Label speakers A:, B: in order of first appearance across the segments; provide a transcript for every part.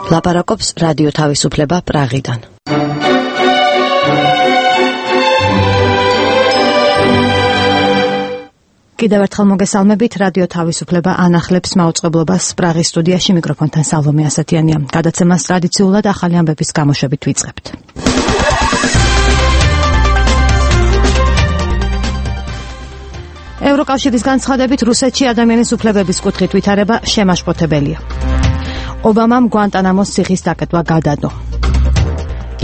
A: ლაპარაკობს რადიო თავისუფლება პრაღიდან. კიდევ ერთხელ მოგესალმებით, რადიო თავისუფლება ანახლებს მაუწყებლობას პრაღის სტუდიაში, მიკროფონთან სალომე ასათიანია. გადაცემას ტრადიციულად ახალი ამბების გამოშვებით ვიწყებთ. ევროკავშირის განცხადებით რუსეთში ადამიანის უფლებების კუთხით ვითარება შემაშფოთებელია. ობამამ გვანტანამოს ციხის დაკეტვა გადადო.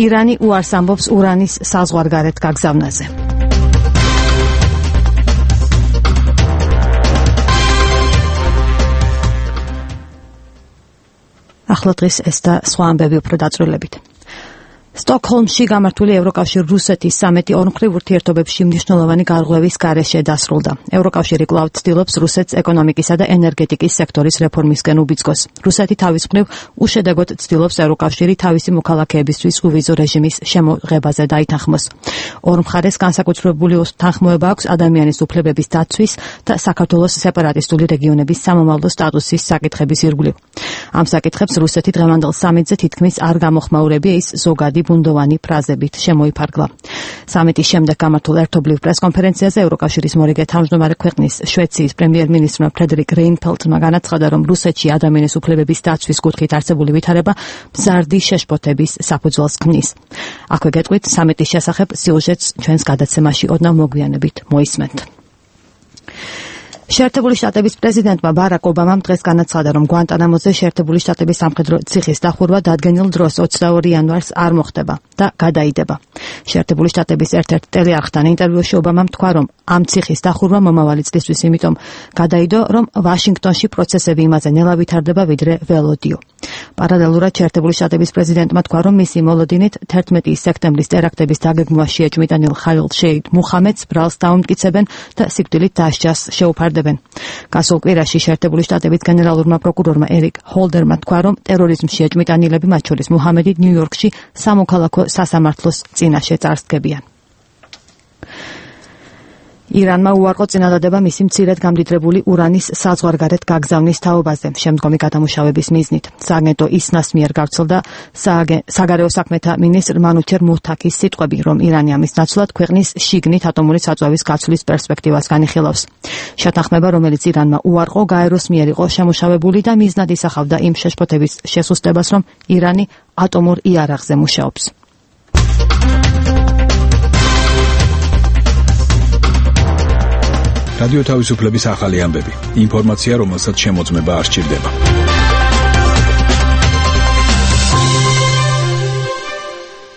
A: ირანი უარს ამბობს ურანის საზღვარგარეთ გაგზავნაზე. ახლა დღეს ეს და სხვა ამბები უფრო დაწვრილებით. სტოკჰოლმში გამართული ევროკავშირ-რუსეთის სამეტი ორმხრივ ურთიერთობებში მნიშვნელოვანი გარღვევის გარეშე დასრულდა. ევროკავშირი კვლავ ცდილობს რუსეთს ეკონომიკისა და ენერგეტიკის სექტორის რეფორმისკენ უბიძგოს. რუსეთი თავის მხრივ უშედეგოდ ცდილობს ევროკავშირი თავისი მოქალაქეებისთვის უვიზო რეჟიმის შემოღებაზე დაითანხმოს. ორ მხარეს განსაკუთრებული თანხმოება აქვს ადამიანის უფლებების დაცვის და საქართველოს სეპარატისტული რეგიონების სამომავლო სტატუსის საკითხების ირგვლივ. ამ საკითხებს რუსეთი დღევანდელ სამიტზე თითქმის არ გამოხმაურებია, ის ზოგადი ბუნდოვანი ფრაზებით შემოიფარგლა. სამიტის შემდეგ გამართულ ერთობლივ პრესკონფერენციაზე ევროკავშირის მორიგე თავმჯდომარე ქვეყნის შვეიცრიის პრემიერ-მინისტრმა ფრედერიკ რეინფელდმა განაცხადა, რომ რუსეთში ადამიანის უფლებების დაცვის კუთხით არსებული ვითარება მზარდი შეშფოთების საფუძველს ქმნის. აქვე გეტყვით სამიტის შესახებ სიუჟეტს ჩვენს გადაცემაში ოდნავ მოგვიანებით მოისმენთ. შეერთებული შტატების პრეზიდენტმა ბარაკ ობამამ დღეს განაცხადა, რომ გვანტანამოზე შეერთებული შტატების სამხედრო ციხის დახურვა დადგენილ დროს 22 იანვარს არ მოხდება და გადაიდება. შეერთებული შტატების ერთ-ერთ ტელეარხთან ინტერვიუში ობამამ თქვა, რომ ამ ციხის დახურვა მომავალი წლისთვის იმიტომ გადაიდო, რომ ვაშინგტონში პროცესები იმაზე ნელა ვითარდება, ვიდრე ველოდიო. პარალელურად შეერთებული შტატების პრეზიდენტმა თქვა, რომ მისი მოლოდინით 11 სექტემბრის ტერაქტების დაგეგმვა შეეჭვმიტანილ ხალილ შეიდ მუხამედს ბრალს დაუმტკიცებენ და სიკვდილით დასჯას შეუფარდებენ. გასულ კვირაში შეერთებული შტატების გენერალურმა პროკურორმა ერიკ ჰოლდერმა თქვა, რომ ტერორიზმში შეჭმიტანილები, მათ შორის მუჰამედი, ნიუ-იორკში სამოქალაქო სასამართლოს წინაშე წარსდგებიან. ირანმა უარყო წინადადება მისი მცირედ გამდიდრებული ურანის საზღვარგარეთ გაგზავნის თაობაზე შემდგომი გადამუშავების მიზნით. სააგენტო ისნას მიერ გავრცელდა საგარეო საქმეთა მინისტრ მანუჩერ მუთაკის სიტყვები, რომ ირანი ამის ნაცვლად ქვეყნის შიგნით ატომური საწვავის გაცვლის პერსპექტივას განიხილავს. შეთანხმება, რომელიც ირანმა უარყო, გაეროს მიერ იყო შემუშავებული და მიზნად ისახავდა იმ შეშფოთების შესუსტებას, რომ ირანი ატომურ იარაღზე მუშაობს.
B: რადიო თავისუფლების ახალი ამბები. ინფორმაცია, რომელსაც შემოწმება არ სჭირდება.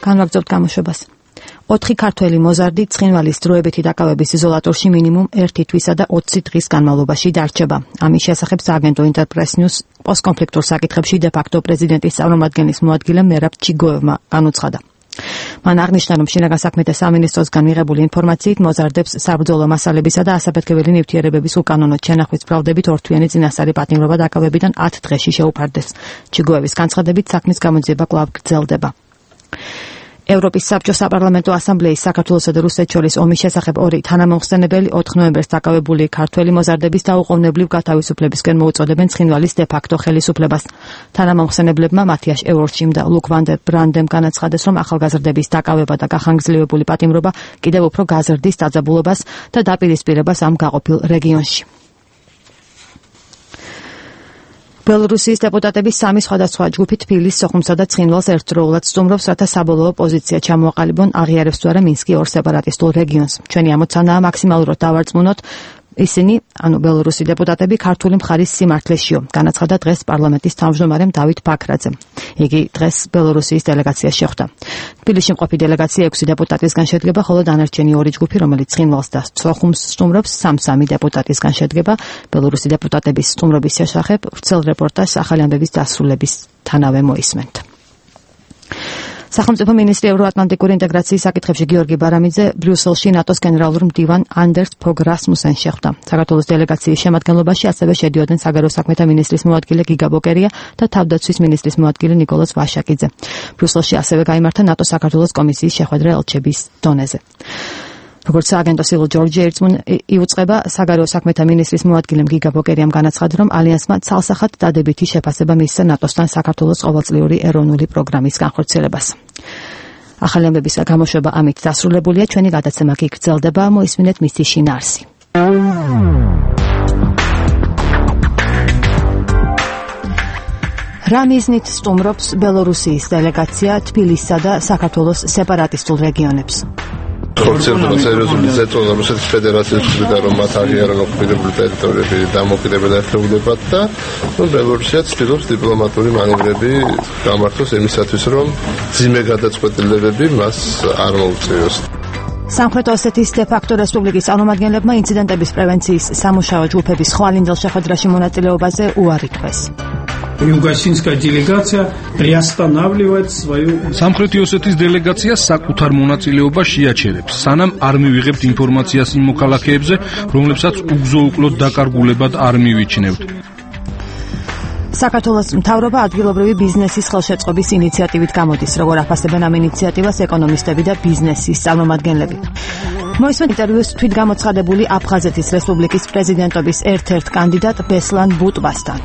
A: განვაგრძობთ გამოშვებას. 4 ქართველი მოზარდი ცხინვალის დროებითი დაკავების იზოლატორში მინიმუმ 1 თვისა და 20 დღის განმავლობაში დარჩება. ამის შესახებ სააგენტო ინტერპრეს ნიუს პოსტკონფლიქტურ საკითხებში დე-ფაქტო პრეზიდენტის წარმომადგენლის მოადგილე მერაბ ჩიგოევმა განუცხადა. მან აღნიშნა, რომ შინაგან საქმეთა სამინისტროსგან მიღებული ინფორმაციით მოზარდებს საბრძოლო მასალებისა და ასაფეთქებელი ნივთიერებების უკანონო ჩენახვის ბრალდებით ორთვიანი წინასწარი პატიმრობა დაკავებიდან 10 დღეში შეუფარდეს. ჩიგოევის განცხადებით საქმის გამოძიება კვლავ გრძელდება. ევროპის საბჭოს საპარლამენტო ასამბლეის საქართველოსა და რუსეთს შორის ომის შესახებ 2 თანამომხსენებელი 4 ნოემბერს დაკავებული ქართველი მოზარდების დაუყოვნებლივ გათავისუფლებისკენ მოუწოდებენ ცხინვალის დე-ფაქტო ხელისუფლებას. თანამომხსენებლებმა მათიაშ ევროშიმ და ლუკ ვან დერ ბრანდემ განაცხადეს, რომ ახალგაზრდების დაკავება და გახანგრძლივებული პატიმრობა კიდევ უფრო გაზრდის დაძაბულობას და დაპირისპირებას ამ გაყოფილ რეგიონში. ბელორუსიის დეპუტატების 3 სხვადასხვა ჯგუფი თბილის, სოხუმსა და ცხინვალს ერთდროულად სტუმრობს, რათა საბოლოო პოზიცია ჩამოაყალიბონ, აღიარებს თუ არა მინსკი ორ სეპარატისტულ რეგიონს. ჩვენი ამოცანაა მაქსიმალურად დავარწმუნოთ ისინი, ბელორუსი დეპუტატები ქართული მხარის სიმართლეშიო, განაცხადა დღეს პარლამენტის თავმჯდომარემ დავით ბაქრაძემ. იგი დღეს ბელორუსიის დელეგაციას შეხვდა. თბილისში მყოფი დელეგაცია 6 დეპუტატისგან შედგება, ხოლო დანარჩენი 2 ჯგუფი, რომელიც ცხინვალს და სოხუმს სტუმრობს, 3 დეპუტატისგან შედგება. ბელორუსი დეპუტატების სტუმრობის შესახებ ვრცელ რეპორტაჟს ახალი ამბების დასრულებისთანავე მოისმენთ. სახელმწიფო მინისტრი ევროატლანტიკური ინტეგრაციის საკითხებში გიორგი ბარამიძე ბრიუსელში ნატოს გენერალურ მდივან ანდერს ფოგ რასმუსენს შეხვდა. საქართველოს დელეგაციის შემადგენლობაში ასევე შედიოდნენ საგარეო საქმეთა მინისტრის მოადგილე გიგა ბოკერია და თავდაცვის მინისტრის მოადგილე ნიკოლოზ ვაშაკიძე. ბრიუსელში ასევე გაიმართა ნატოს საქართველოს კომისიის შეხვედრა ელჩების დონეზე. როგორც სააგენტო სილო ჯორჯი იუწყება, საგარეო საქმეთა მინისტრის მოადგილემ გიგა ბოკერიამ განაცხადა, რომ ალიანსმა ცალსახად დადებითი შეფასება მისცა ნატოსთან საქართველოს ყოველწლიური ეროვნული პროგრამის განხორციელებას. ახალი ამბების გამოშვება ამით დასრულებულია, ჩვენი გადაცემა კი გრძელდება, მოისმინეთ მისი შინაარსი. რა მიზნით სტუმრობს ბელორუსიის დელეგაცია თბილისსა და საქართველოს სეპარატისტულ რეგიონებს?
C: ხორცელდება სერიოზული ზეწოლა რუსეთის ფედერაციის მხრიდან, რომ მათ აღიარონ ოკუპირებული ტერიტორიები დამოუკიდებელ ერთეულებად და ბელორუსია ცდილობს დიპლომატური მანევრები გამართოს იმისათვის, რომ ძიმე გადაწყვეტილებები მას არ მოუწიოს.
A: სამხრეთ ოსეთის დე-ფაქტო რესპუბლიკის წარმომადგენლებმა ინციდენტების პრევენციის სამუშაო ჯგუფების ხვალინძელ შეხვედრაში მონაწილეობაზე უარი თქვეს.
D: Югосинская делегация приостанавливает свою...
E: სამხრეთი ოსეთის დელეგაცია საკუთარ მონაწილეობას შეაჩერებს, სანამ არ მივიღებთ ინფორმაციას იმ მოქალაქეებზე, რომლებსაც უგზო-უკლოდ დაკარგულებად არ მივიჩნევთ.
A: საქართველოს მთავრობა ადგილობრივი ბიზნესის ხელშეწყობის ინიციატივით გამოდის, როგორ აფასებენ ამ ინიციატივას ეკონომისტები და ბიზნესის წარმომადგენლები. მოისმენთ ინტერვიუს თვითგამოცხადებული აფხაზეთის რესპუბლიკის პრეზიდენტობის ერთ-ერთ კანდიდატ ბესლან ბუტვასთან.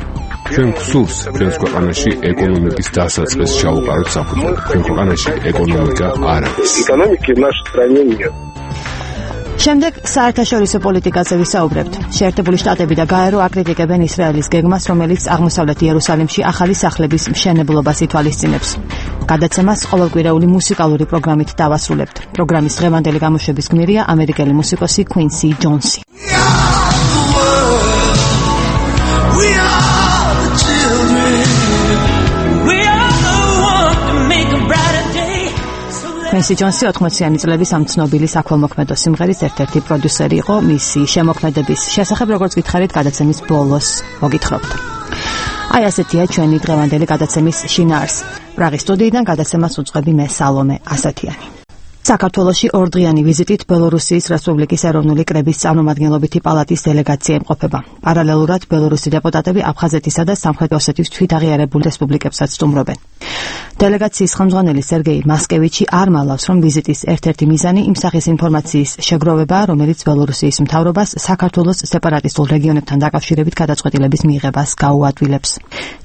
F: ჩვენ გსურს ჩვენს ქვეყანაში ეკონომიკის დასაწყისს ჩაუყაროთ საფუძველი. ჩვენ ქვეყანაში ეკონომიკა არ არის.
C: ეკონომიკა нашей стране нет.
A: შემდეგ საერთაშორისო პოლიტიკაზე ვისაუბრებთ. შეერთებული შტატები და გაერო აკრიტიკებენ ისრაელის გეგმას, რომელიც აღმოსავლეთ იერუსალიმში ახალი სახლების მშენებლობას ითვალისწინებს. გადაცემას ყოველკვირეული მუსიკალური პროგრამით დავასრულებთ. პროგრამის დღევანდელი გამოშვების გმირია ამერიკელი მუსიკოსი Quincy Jones. Quincy Jones 80-იანი წლების ამ ცნობილი საქველმოქმედო სიმღერის ერთ-ერთი პროდიუსერი იყო. მისი შემოქმედების შესახებ, როგორც გითხარით, გადაცემის ბოლოს მოგითხრობთ. აი ასეთია ჩვენი დღევანდელი გადაცემის შინაარსი. პრაღის სტუდიიდან გადაცემას უწყები მე სალომე ასათიანი. საქართველოში ორდღიანი ვიზიტით ბელორუსიის რესპუბლიკის ეროვნული კრების წარმომადგენლობითი პალატის დელეგაცია იმყოფება. პარალელურად ბელორუსი დეპუტატები აფხაზეთისა და სამხრეთ ოსეთის თვითაღიარებულ რესპუბლიკებსაც სტუმრობენ. დელეგაციის ხელმძღვანელი სერგეი მასკევიჩი არ მალავს, რომ ვიზიტის ერთ-ერთი მიზანი იმ სახის ინფორმაციის შეგროვებაა, რომელიც ბელორუსიის მთავრობას საქართველოს სეპარატისტულ რეგიონებთან დაკავშირებით გადაწყვეტილების მიღებას გაუადვილებს.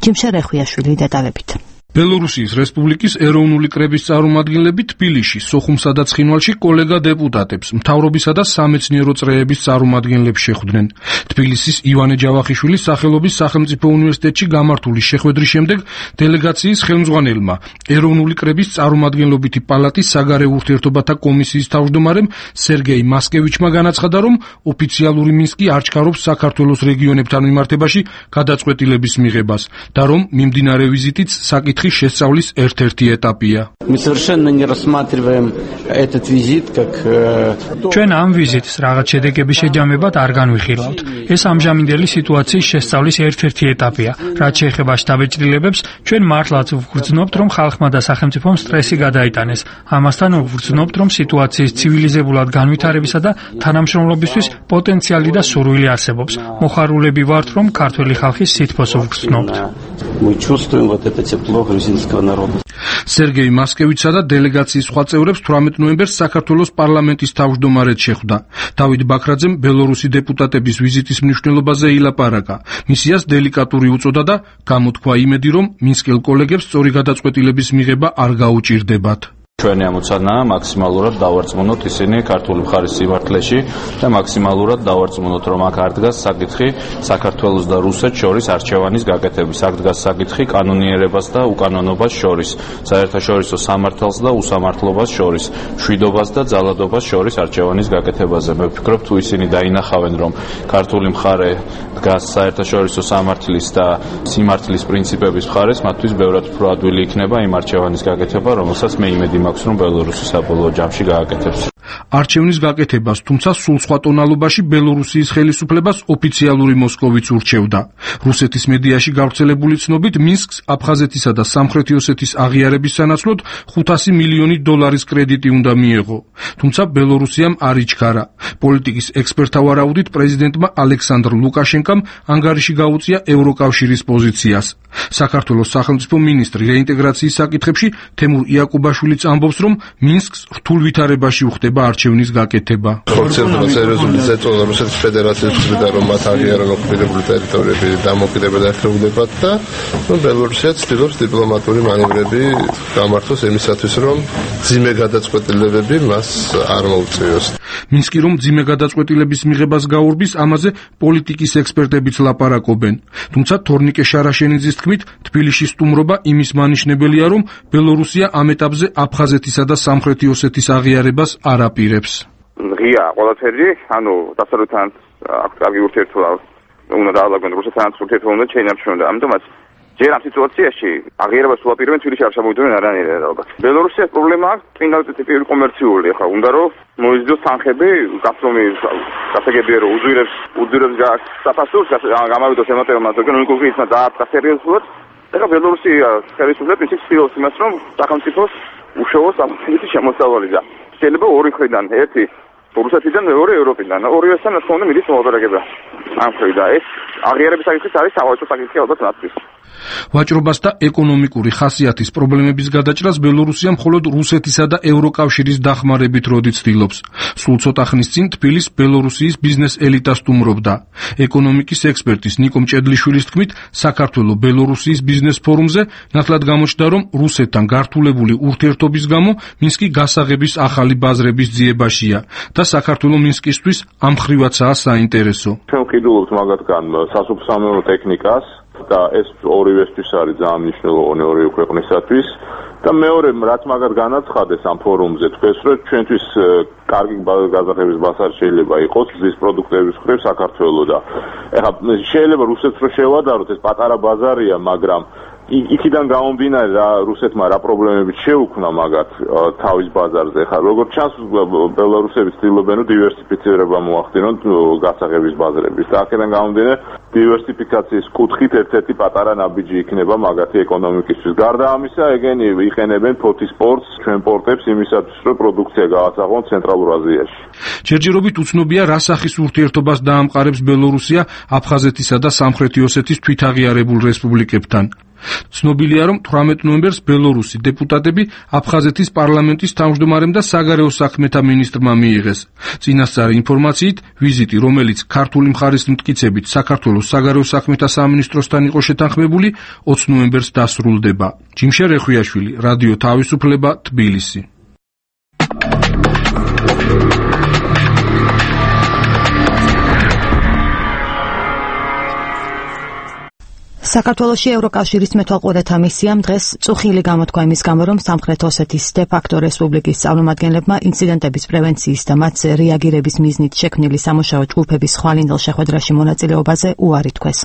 A: ჯიმშე რეხვიაშვილი დეტალებით.
E: ბელორუსიის რესპუბლიკის ეროვნული კრების წარმომადგენლები თბილისში, სოხუმსა და ცხინვალში კოლეგა დეპუტატებს, მთავრობისა და სამეცნიერო წრეების წარმომადგენლებს შეხვდნენ. თბილისის ივანე ჯავახიშვილის სახელობის სახელმწიფო უნივერსიტეტში გამართული შეხვედრის შემდეგ დელეგაციის ხელმძღვანელმა, ეროვნული კრების წარმომადგენლობითი პალატის საგარეო ურთიერთობათა კომისიის თავმჯდომარემ სერგეი მასკევიჩმა განაცხადა, რომ ოფიციალური მინსკი არ ჩქარობს საქართველოს რეგიონებთან მიმართებაში გადაწყვეტილების მიღებას და რომ მიმდინარე ვიზიტიც საკითხი შესწავლის ერთ-ერთი ეტაპია.
D: ჩვენ ამ ვიზიტს რაღაც შედეგების შეჯამებად არ განვიხილავთ. ეს ამჟამინდელი სიტუაციის შესწავლის ერთ-ერთი ეტაპია. რაც შეეხება შტაბ-ჭრილებებს, ჩვენ მართლაც ვგრძნობთ, რომ ხალხმა და სახელმწიფომ სტრესი გადაიტანეს. ამასთან ვგრძნობთ, რომ სიტუაციის ცივილიზებულად განვითარებისა და თანამშრომლობისთვის პოტენციალი და სურვილი არსებობს. მოხარულები ვართ, რომ ქართველი ხალხის სითბოს ვგრძნობთ.
E: სერგეი მასკევიჩსა და დელეგაციის სხვა წევრებს 18 ნოემბერს საქართველოს პარლამენტის თავმჯდომარედ შეხვდა. დავით ბაქრაძემ ბელორუსი დეპუტატების ვიზიტის მნიშვნელობაზე ილაპარაკა. მისიას დელიკატური უწოდა და გამოთქვა იმედი, რომ მინსკელ კოლეგებს სწორი გადაწყვეტილების მიღება არ გაუჭირდებათ.
G: ჩვენი ამოცანაა მაქსიმალურად დავარწმუნოთ ისინი ქართული მხარის სიმართლეში და მაქსიმალურად დავარწმუნოთ, რომ აქ არ დგას საკითხი საქართველოს და რუსეთს შორის არჩევანის გაკეთების. აქ დგას საკითხი კანონიერებას და უკანონობას შორის, საერთაშორისო სამართალს და უსამართლობას შორის, მშვიდობას და ძალადობას შორის არჩევანის გაკეთებაზე. მე ვფიქრობ, თუ ისინი დაინახავენ, რომ ქართული მხარე დგას საერთაშორისო სამართლის და სიმართლის პრინციპების მხარეს, მათთვის ბევრად უფრო ადვილი იქნება იმ არჩევანის გაკეთება, რომელსაც მე იმედი მაქვს, რომ ბელორუსი საბოლოო ჯამში გააკეთებს.
E: არჩევნის გაკეთებას, თუმცა სულ სხვა ტონალობაში ბელორუსიის ხელისუფლებას ოფიციალური მოსკოვიც ურჩევდა. რუსეთის მედიაში გავრცელებული ცნობით მინსკს აფხაზეთისა და სამხრეთი ოსეთის აღიარების სანაცვლოდ $500 მილიონი კრედიტი უნდა მიეღო. თუმცა ბელორუსიამ არ იჩქარა. პოლიტიკის ექსპერტთა ვარაუდით პრეზიდენტმა ალექსანდრ ლუკაშენკამ ანგარიში გაუწია ევროკავშირის პოზიციას. საქართველოს სახელმწიფო მინისტრი რეინტეგრაციის საკითხებში თემურ იაკუბაშვილიც ამბობს, რომ მინსკს რთულ ვითარებაში უხდება ხდება არჩევნის გაკეთება.
C: ხორციელდება სერიოზული ზეწოლა რუსეთის ფედერაციის მხრიდან, რომ მათ აღიარონ ოკუპირებული ტერიტორიები დამოუკიდებელ ერთეულებად და ბელორუსია ცდილობს დიპლომატიური მანევრები გამართოს იმისათვის, რომ ძიმე გადაწყვეტილებები მას არ მოუწიოს.
E: მინსკი რომ ძიმე გადაწყვეტილების მიღებას გაურბის, ამაზე პოლიტიკის ექსპერტებიც ლაპარაკობენ. თუმცა თორნიკე შარაშენიძის თქმით, თბილისის სტუმრობა იმის მანიშნებელია, რომ ბელორუსია ამ ეტაპზე აფხაზეთისა და სამხრეთი ოსეთის აღიარებას არ აპირებს.
H: ღია ყველაფერი, დასავლეთთან აქვს კარგი ურთიერთობა, უნდა დაალაგონ რუსეთთან ურთიერთობა უნდა შეინარჩუნონ. ამიტომაც ჯერ ამ სიტუაციაში აღიარებას უაპირებენ თბილისში არ შემოვიდნენ არანაირად ალბათ. ბელორუსიას პრობლემა აქვს წინა ტიპური კომერციული, ხა უნდა რომ მოიზიდოს თანხები, გასწრომი გასაგებია რომ უძვირებს საფასურს, გამავიდოს ემატებმა, თორემ უკრაინა დაარტყა სერიოზულად. ეხლა ბელორუსია ხელისუფლება პრინციპს ცდილობს იმას, რომ სახელმწიფოს უშუალოდ საფასურის შემოსავალი და შეიძლება ორი მხრიდან, ერთი რუსეთიდან, მეორე ევროპიდან, ორივესთან რა თქმა უნდა მიდის მოლაპარაკება. ამ მხრიდან ეს აღიარების საკითხიც არის სავაჭრო საკითხი ალბათ ნაცვის.
E: ვაჭრობას და ეკონომიკური ხასიათის პრობლემების გადაჭრას ბელორუსია მხოლოდ რუსეთისა და ევროკავშირის დახმარებით როდი ცდილობს. სულ ცოტა ხნის წინ თბილისს ბელორუსიის ბიზნეს ელიტა სტუმრობდა. ეკონომიკის ექსპერტის ნიკო მჭედლიშვილის თქმით, საქართველოს ბელორუსიის ბიზნეს ფორუმზე ნათლად გამოჩნდა, რომ რუსეთთან გართულებული ურთიერთობის გამო მინსკი გასაღების ახალი ბაზრების ძიებაშია და საქართველოს მინსკისთვის ამ ხრივაცაა საინტერესო.
I: ჩვენ ვყიდულობთ მაგათგან სასოფლო-სამეურნეო ტექნიკას და ეს ორივესთვის არის ძალიან მნიშვნელოვანი ორივე ქვეყნისათვის და მეორე რაც მაგათ განაცხადეს ამ ფორუმზე თქვეს რომ ჩვენთვის კარგი გაზაფხების ბაზარი შეიძლება იყოს მზის პროდუქტების მხრივ საქართველოს და ეხლა შეიძლება რუსეთს რო შევადაროთ ეს პატარა ბაზარია მაგრამ იქიდან გამომდინარე რა რუსეთმა რა პრობლემები შეუქმნა მაგათ თავის ბაზარზე ხა როგორც ჩანს ბელორუსები ცდილობენ რომ დივერსიფიცირება მოახდინონ გასაღების ბაზრების და აქედან გამომდინარე დივერსიფიკაციის კუთხით ერთ-ერთი პატარა ნაბიჯი იქნება მაგათი ეკონომიკისთვის გარდა ამისა ეგენი იყენებენ ფოთის პორტს ჩვენ პორტებს იმისათვის რომ პროდუქცია გაასაღონ ცენტრალურ აზიაში
E: ჯერჯერობით უცნობია რა სახის ურთიერთობას დაამყარებს ბელორუსია აფხაზეთისა და სამხრეთი ოსეთის თვითაღიარებულ რესპუბლიკებთან. ცნობილია, რომ 18 ნოემბერს ბელორუსი დეპუტატები აფხაზეთის პარლამენტის თავმჯდომარემ და საგარეო საქმეთა მინისტრმა მიიღეს. წინასწარი ინფორმაციით, ვიზიტი, რომელიც ქართული მხარის მტკიცებით საქართველოს საგარეო საქმეთა სამინისტროსთან იყო შეთანხმებული, 20 ნოემბერს დასრულდება. ჯიმშე რეხვიაშვილი, რადიო თავისუფლება, თბილისი.
A: საქართველოში ევროკავშირის მეთვალყურეთა მისიამ დღეს წუხილი გამოთქვა იმის გამო, რომ სამხრეთ ოსეთის დე-ფაქტო რესპუბლიკის წარმომადგენლებმა ინციდენტების პრევენციის და მათზე რეაგირების მიზნით შექმნილი სამუშაო ჯგუფების ხვალინდელ შეხვედრაში მონაწილეობაზე უარი თქვეს.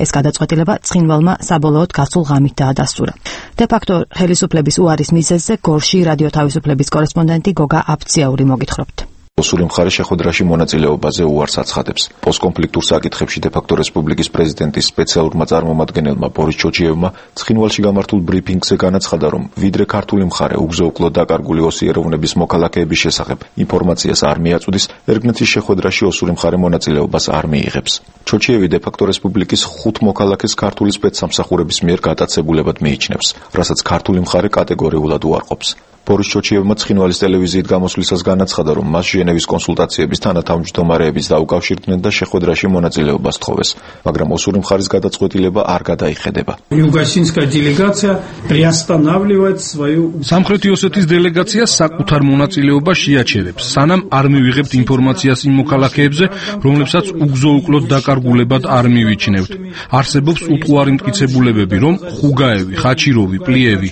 A: ეს გადაწყვეტილება ცხინვალმა საბოლოოდ გასულ ღამით დაადასტურა. დე-ფაქტო ხელისუფლების უარის მიზეზზე გორში რადიო თავისუფლების კორესპონდენტი გოგა აფციაური მოგითხრობთ.
J: ოსური მხარე შეხვედრაში მონაწილეობაზე უარს აცხადებს. პოსტკონფლიქტურ საკითხებში დე-ფაქტო რესპუბლიკის პრეზიდენტის სპეციალურმა წარმომადგენელმა ბორის ჩოჩიევმა ცხინვალში გამართულ ბრიფინგზე განაცხადა, რომ ვიდრე ქართული მხარე უგზო-უკლოდ დაკარგული ოსი ეროვნების მოქალაქეების შესახებ ინფორმაციას არ მიაწვდის, ერგნეთის შეხვედრაში ოსური მხარე მონაწილეობას არ მიიღებს. ჩოჩიევი დე-ფაქტო რესპუბლიკის 5 მოქალაქეს ქართული სპეცსამსახურების მიერ გატაცებულებად მიიჩნევს, რასაც ქართული მხარე კატეგორიულად უარყოფს. ბორის ჩოჩიევმა ცხინვალის ტელევიზიით გამოსვლისას განაცხადა, რომ მას ჟენევის კონსულტაციების თანათავმჯდომარეების დაუკავშირდნენ და შეხვედრაში მონაწილეობას თხოვეს, მაგრამ ოსური მხარის გადაწყვეტილება არ გადაიხედება.
E: სამხრეთი ოსეთის დელეგაცია საკუთარ მონაწილეობას შეაჩერებს, სანამ არ მივიღებთ ინფორმაციას იმ მოქალაქეებზე, რომლებსაც უგზო-უკლოდ დაკარგულებად არ მივიჩნევთ. არსებობს უტყუარი მტკიცებულებები, რომ ხუგაევი, ხაჩიროვი, პლიევი,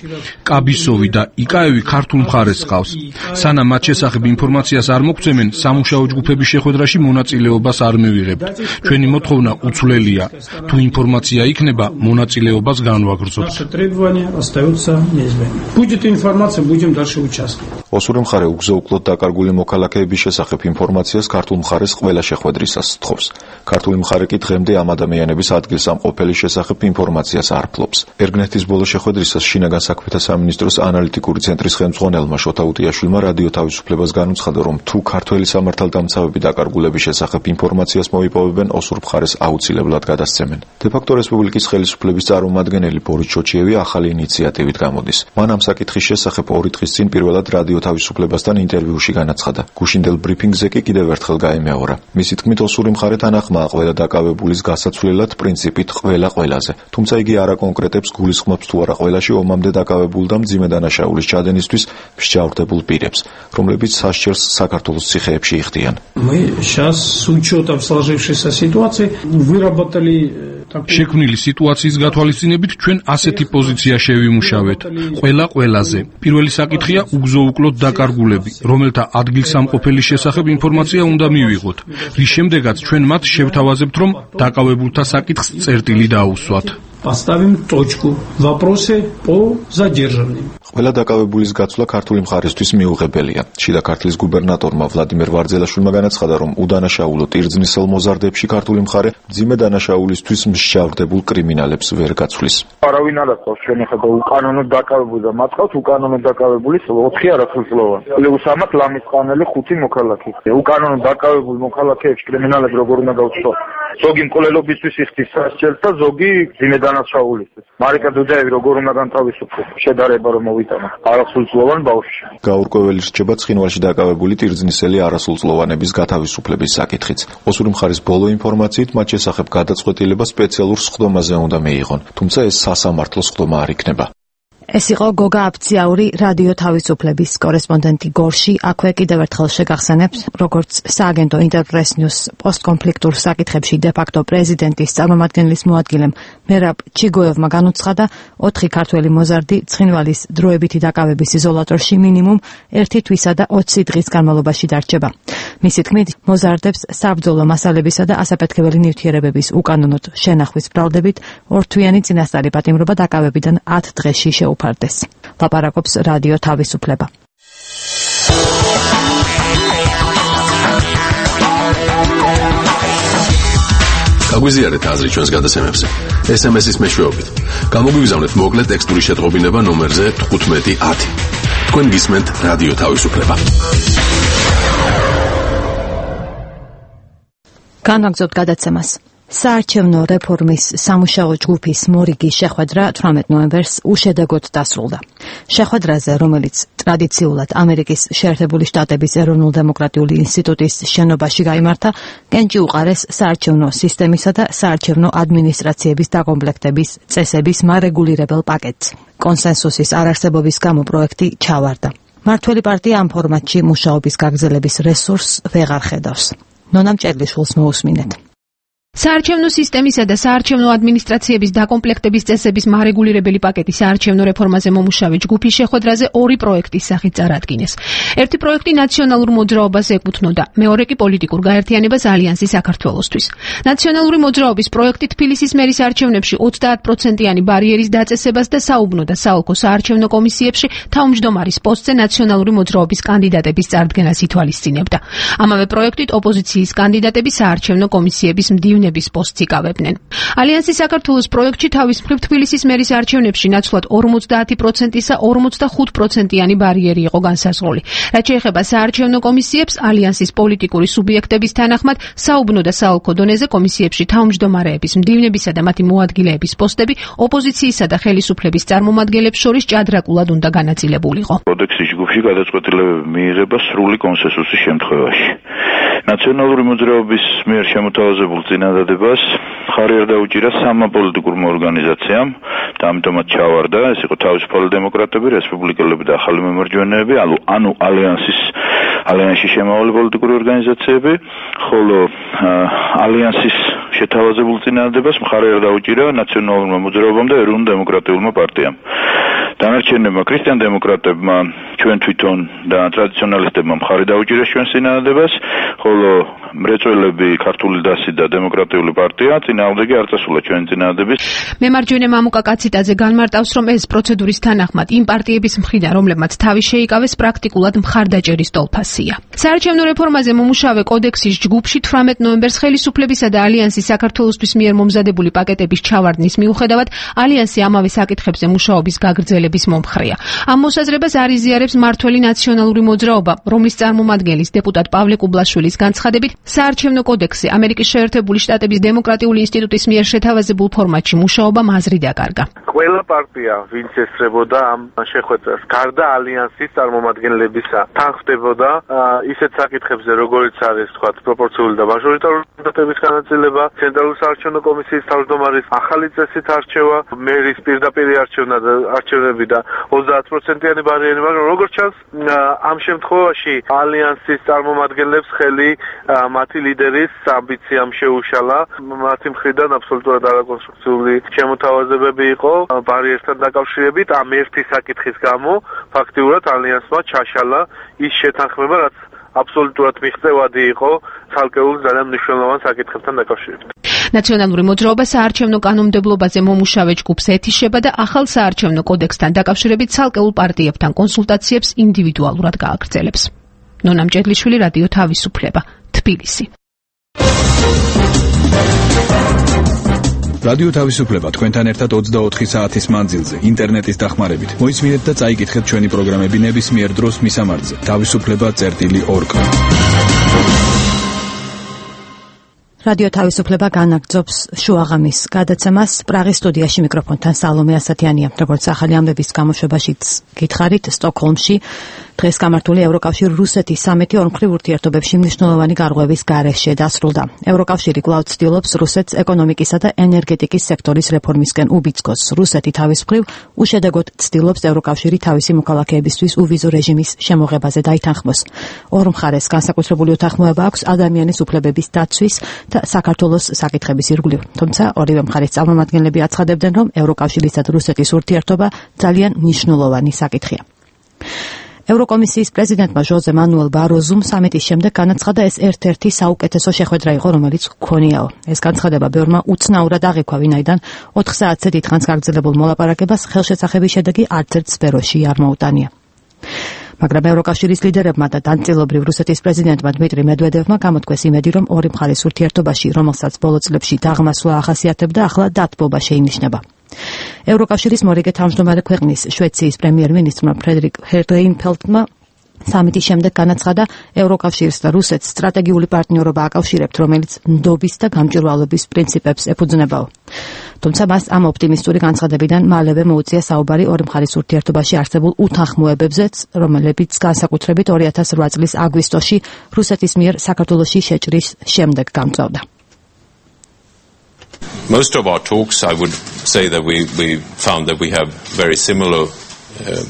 E: კაბისოვი და იკაევი ქართულ მხარეს ყავს. სანამ მათ შესახებ ინფორმაციას არ მოგცემენ, სამუშაო ჯგუფების შეხვედრაში მონაწილეობას არ მივიღებთ. ჩვენი მოთხოვნა უცვლელია. თუ ინფორმაცია იქნება, მონაწილეობას განვაგრძობთ.
J: ოსური მხარე უგზო-უკლოდ დაკარგული მოქალაქეების შესახებ ინფორმაციას ქართულ მხარეს ყველა შეხვედრისას თხოვს. ქართული მხარე კი დღემდე ამ ადამიანების ადგილსამყოფელის შესახებ ინფორმაციას არ ფლობს. ერგნეთის ბოლო შეხვედრისას შინაგან საქმეთა სამინისტროს ანალიტიკური ცენტრის ხელმძღვანელმა შოთა უტიაშვილმა რადიო თავისუფლებას განუცხადა, რომ თუ ქართველი სამართალდამცავები დაკარგულების შესახებ ინფორმაციას მოიპოვებენ, ოსურ მხარეს აუცილებლად გადასცემენ. დე-ფაქტო რესპუბლიკის ხელისუფლების წარმომადგენელი ბორის ჩოჩიევი ახალი ინიციატივით გამოდის. მან ამ საკითხის შესახებ 2 დღის წინ პირველად რადიო თავისუფლებასთან ინტერვიუში განაცხადა. გუშინდელ ბრიფინგზე კი კიდევ ერთხელ გაემეორა. მისი თქმით, ოსური მხარე თანახმაა ყველა დაკავებულის გასაცვლელად პრინციპით ყველა ყველაზე. თუმცა იგი არ აკონკრეტებს გულისხმობს თუ არა ყველაში ომამდე დაკავებულ და მძიმე დანაშაულის ჩადენისთვის მსჯავრდებულ პირებს, რომლებიც სასჯელს საქართველოს ციხეებში იხდიან.
K: Мы сейчас с учетом сложившейся ситуации выработали
E: შექმნილი სიტუაციის გათვალისწინებით ჩვენ ასეთი პოზიცია შევიმუშავეთ. ყველა ყველაზე. პირველი საკითხია უგზო-უკლოდ დაკარგულები, რომელთა ადგილსამყოფელის შესახებ ინფორმაცია უნდა მივიღოთ. რის შემდეგაც ჩვენ მათ შევთავაზებთ, რომ დაკავებულთა საკითხს წერტილი დაუსვათ.
K: Поставим точку. Вопросы по задержанным.
J: ყველა დაკავებულის გაცვლა ქართული მხარისთვის მიუღებელია. შიდა ქართლის გუბერნატორმა ვლადიმერ ვარძელაშვილმა განაცხადა, რომ უდანაშაულო ტირზნისელ მოზარდებში ქართული მხარე მძიმე დანაშაულისთვის მსჯავრდებულ კრიმინალებს ვერ გაცვლის.
L: არავინ არ ახლავს ჩვენ ახლა უკანონოდ დაკავებული და მათ ყავს უკანონოდ დაკავებული 4 არასრულწლოვანი. პლუს ამათ ლამისყანელი 5 მოქალაქე. უკანონოდ დაკავებულ მოქალაქეებს კრიმინალები როგორ უნდა გავცვლოთ? ზოგი მკვლელობისთვის იხდის სასჯელს და ზოგი მძიმე დანაშაულისთვის. მარიკა დუდაევი როგორ უნდა განთავისუფლდეს? შედარება რომ მოვიტანო არასრულწლოვან ბავშვში.
J: გაურკვეველი რჩება ცხინვალში დაკავებული ტირზნისელი არასრულწლოვანების გათავისუფლების საკითხიც. ოსური მხარის ბოლო ინფორმაციით მათ შესახებ გადაწყვეტილება სპეციალურ სხდომაზე უნდა მიიღონ, თუმცა ეს სასამართლო სხდომა არ იქნება.
A: ეს იყო გოგა აფციაური რადიო თავისუფლების კორესპონდენტი გორში. აქვე კიდევ ერთხელ შეგახსენებთ, როგორც სააგენტო ინტერპრეს ნიუს პოსტკონფლიქტურ საკითხებში დე-ფაქტო პრეზიდენტის წარმომადგენლის მოადგილემ მერაბ ჩიგოევმა განუცხადა, 4 ქართველი მოზარდი ცხინვალის დროებითი დაკავების იზოლატორში მინიმუმ 1 თვისა და 20 დღის განმავლობაში დარჩება. მისი თქმით, მოზარდებს საბრძოლო მასალებისა და ასაფეთქებელი ნივთიერებების უკანონოდ შენახვის ბრალდებით 2 თვიანი წინასწარი პატიმრობა დაკავებიდან 10 დღეში შეუფარდეს. ლაპარაკობს რადიო თავისუფლება.
M: გაგვიზიარეთ აზრი ჩვენს გადაცემებზე. SMS-ის მეშვეობით. გამოგვიგზავნეთ მოკლე ტექსტური შეტყობინება ნომერზე 1510. თქვენ გისმენთ რადიო თავისუფლება.
A: განვაგრძობთ გადაცემას. საარჩევნო რეფორმის სამუშაო ჯგუფის მორიგის შეხვედრა 18 ნოემბერს უშედეგოდ დასრულდა. შეხვედრაზე, რომელიც ტრადიციულად ამერიკის შეერთებული შტატების ეროვნულ-დემოკრატიული ინსტიტუტის შენობაში გაიმართა, კენჭი უყარეს საარჩევნო სისტემისა და საარჩევნო ადმინისტრაციების დაკომპლექტების წესების მარეგულირებელ პაკეტს. კონსენსუსის არარსებობის გამო პროექტი ჩავარდა. მართველი პარტია ამ ფორმატში მუშაობის გაგრძელების რესურსს ვეღარ ხედავს. ნონა მჭედლიშვილს მოусმინეთ.
N: საარჩევნო სისტემისა და საარჩევნო ადმინისტრაციების დაკომპლექტების წესების მარეგულირებელი პაკეტი საარჩევნო რეფორმაზე მომუშავე ჯგუფის შეხვედრაზე 2 პროექტის სახით წარადგინეს. ერთი პროექტი ნაციონალურ მოძრაობას ეკუთვნოდა, მეორე კი პოლიტიკურ გაერთიანებას ალიანსი საქართველოსთვის. ნაციონალური მოძრაობის პროექტი თბილისის მერის არჩევნებში 30%-იანი ბარიერის დაწესებას და საუბნო და საოლქო საარჩევნო კომისიებში თავმჯდომარის პოსტზე ნაციონალური მოძრაობის კანდიდატების წარდგენას ითვალისწინებდა. ამავე პროექტით ოპოზიციის კანდიდატები საარჩევნო კომისიების მდივნების პოსტს იკავებდნენ. ალიანსი საქართველოს პროექტში თავის მხრივ თბილისის მერის არჩევნებში ნაცვლად 50%-ისა 45%-იანი ბარიერი იყო განსაზღვრული. რაც შეეხება საარჩევნო კომისიებს, ალიანსის პოლიტიკური სუბიექტების თანახმად საუბნო და საოლქო დონეზე კომისიებში თავმჯდომარეების, მდივნებისა და მათი მოადგილეების პოსტები ოპოზიციისა და ხელისუფლების წარმომადგენლებს შორის ჭადრაკულად უნდა განაწილებულიყო.
O: კოდექსის ჯგუფში გადაწყვეტილებები მიიღება სრული კონსენსუსის შემთხვევაში. ნაციონალური მოძრაობის მიერ შემოთავაზებულ წინადადებას ხარი არ დაუჭირა სამმა პოლიტიკურმა ორგანიზაციამ და ამიტომაც ჩავარდა. ეს იყო თავისუფალი დემოკრატები, რესპუბლიკელები და ახალი მემარჯვენეები, ანუ ალიანსში შემავალი პოლიტიკური ორგანიზაციები, ხოლო ალიანსის შეთავაზებულ წინადადებას მხარი არ დაუჭირა ნაციონალურმა მოძრაობამ და ეროვნულ-დემოკრატიულმა პარტიამ. დანარჩენებმა ქრისტიან დემოკრატებმა, ჩვენ თვითონ და ტრადიციონალისტებმა მხარი დაუჭირეს ჩვენს წინადადებას, ხოლო მრეწველები, ქართული დასი და დემოკრატიული პარტია წინააღმდეგი არ წასულა ჩვენი წინადადების.
N: მემარჯვენე მამუკა კაციტაძე განმარტავს, რომ ეს პროცედურის თანახმად იმ პარტიების მხრიდან, რომლებმაც თავი შეიკავეს, პრაქტიკულად მხარდაჭერის ტოლფასია. საარჩევნო რეფორმაზე მომუშავე კოდექსის ჯგუფში 18 ნოემბერს ხელისუფლებისა და ალიანსის საქართველოსთვის მიერ მომზადებული პაკეტების ჩავარდნის მიუხედავად, ალიანსი ამავე საკითხებზე მუშაობის გაგრძელებას გადაწყვეტილების მომხრეა. ამ მოსაზრებას არ იზიარებს მართველი ნაციონალური მოძრაობა, რომლის წარმომადგენლის დეპუტატ პავლე კუბლაშვილის განცხადებით, საარჩევნო კოდექსზე ამერიკის შეერთებული შტატების დემოკრატიული ინსტიტუტის მიერ შეთავაზებულ ფორმატში მუშაობამ აზრი დაკარგა.
P: ყველა პარტია, ვინც ესწრებოდა ამ შეხვედრას, გარდა ალიანსის წარმომადგენლებისა, თან ხდებოდა ისეთ საკითხებზე, როგორიც არის, თქვათ, პროპორციული და მაჟორიტარული მანდატების განაწილება, ცენტრალური საარჩევნო კომისიის თავმჯდომარის ახალი წესით არჩევა, მერის პირდაპირ არჩევნები და 30%-იანი ბარიერი, მაგრამ როგორც ჩანს, ამ შემთხვევაში ალიანსის წარმომადგენლებს ხელი მათი ლიდერის ამბიციამ შეუშალა. მათი მხრიდან აბსოლუტურად არაკონსტრუქციული შემოთავაზებები იყო ბარიერთან დაკავშირებით. ამ ერთი საკითხის გამო ფაქტიურად ალიანსმა ჩაშალა ის შეთანხმება, რაც აბსოლუტურად მიღწევადი იყო ცალკეულ ძალიან მნიშვნელოვან საკითხებთან დაკავშირებით.
N: ნაციონალური მოძრაობა საარჩევნო კანონმდებლობაზე მომუშავე ჯგუფს ეთიშება და ახალ საარჩევნო კოდექსთან დაკავშირებით ცალკეულ პარტიებთან კონსულტაციებს ინდივიდუალურად გააგრძელებს. ნონა მჭედლიშვილი, რადიო თავისუფლება, თბილისი.
B: რადიო თავისუფლება თქვენთან ერთად 24 საათის მანძილზე ინტერნეტის დახმარებით. მოისმინეთ და წაიკითხეთ ჩვენი პროგრამები ნებისმიერ დროს მისამართზე. თავისუფლება.org. რადიო თავისუფლება განაგრძობს შუაღამის გადაცემას. პრაღის სტუდიაში მიკროფონთან სალომე ასათიანია. როგორც ახალი ამბების გამოშვებაშიც გითხარით, სტოკჰოლმში დღეს გამართული ევროკავშირ რუსეთის სამეთი ორმხრივ ურთიერთობებში მნიშვნელოვანი გარღვევის გარეშე დასრულდა. ევროკავშირი კვლავ ცდილობს რუსეთს ეკონომიკისა და ენერგეტიკის სექტორის რეფორმისკენ უბიძგოს. რუსეთი თავის მხრივ უშედეგოდ ცდილობს ევროკავშირი თავისი მოქალაქეებისთვის უვიზო რეჟიმის შემოღებაზე დაითანხმოს. ორ მხარეს განსაკუთრებული უთანხმოება აქვს ადამიანის უფლებების დაცვის და საქართველოს საკითხების ირგვლივ. თუმცა ორივე მხარის წარმომადგენლები აცხადებდნენ, რომ ევროკავშირისა და რუსეთის ურთიერთობა ძალიან მნიშვნელოვანი საკითხია. ევროკომისიის პრეზიდენტმა ჟოზე მანუელ ბაროზუმ სამიტის შემდეგ განაცხადა, ეს ერთ-ერთი საუკეთესო შეხვედრა იყო, რომელიც გქონიაო. ეს განცხადება ბევრმა უცნაურად აღიქვა, ვინაიდან 4 საათზე დიდხანს გაგრძელებულ მოლაპარაკებას ხელშეცახების შედეგი არც ერთ სფეროში არ მოუტანია. მაგრამ ევროკავშირის ლიდერებმა და დამწერლობრივ რუსეთის პრეზიდენტმა დმიტრი მედვედევმა გამოთქვეს იმედი, რომ ორი მხარის ურთიერთობაში, რომელსაც ბოლო წლებში დაღმასვლა ახასიათებდა, ახლა დათბობა შეინიშნება. ევროკავშირის მორიგე თავმჯდომარე ქვეყნის შვეიციის პრემიერ-მინისტრმა ფრედერიკ რეინფელდმა სამიტის შემდეგ განაცხადა, ევროკავშირს და რუსეთს სტრატეგიული პარტნიორობა აკავშირებთ, რომელიც ნდობის და გამჭვირვალობის პრინციპებს ეფუძნებაო. თუმცა მას ამ ოპტიმისტური განცხადებიდან მალევე მოუწია საუბარი ორი მხარის ურთიერთობაში არსებულ უთანხმოებებზეც, რომლებიც განსაკუთრებით 2008 წლის აგვისტოში რუსეთის მიერ საქართველოში შეჭრის შემდეგ გამწვავდა.
Q: Most of our talks, I would say that we found that we have very similar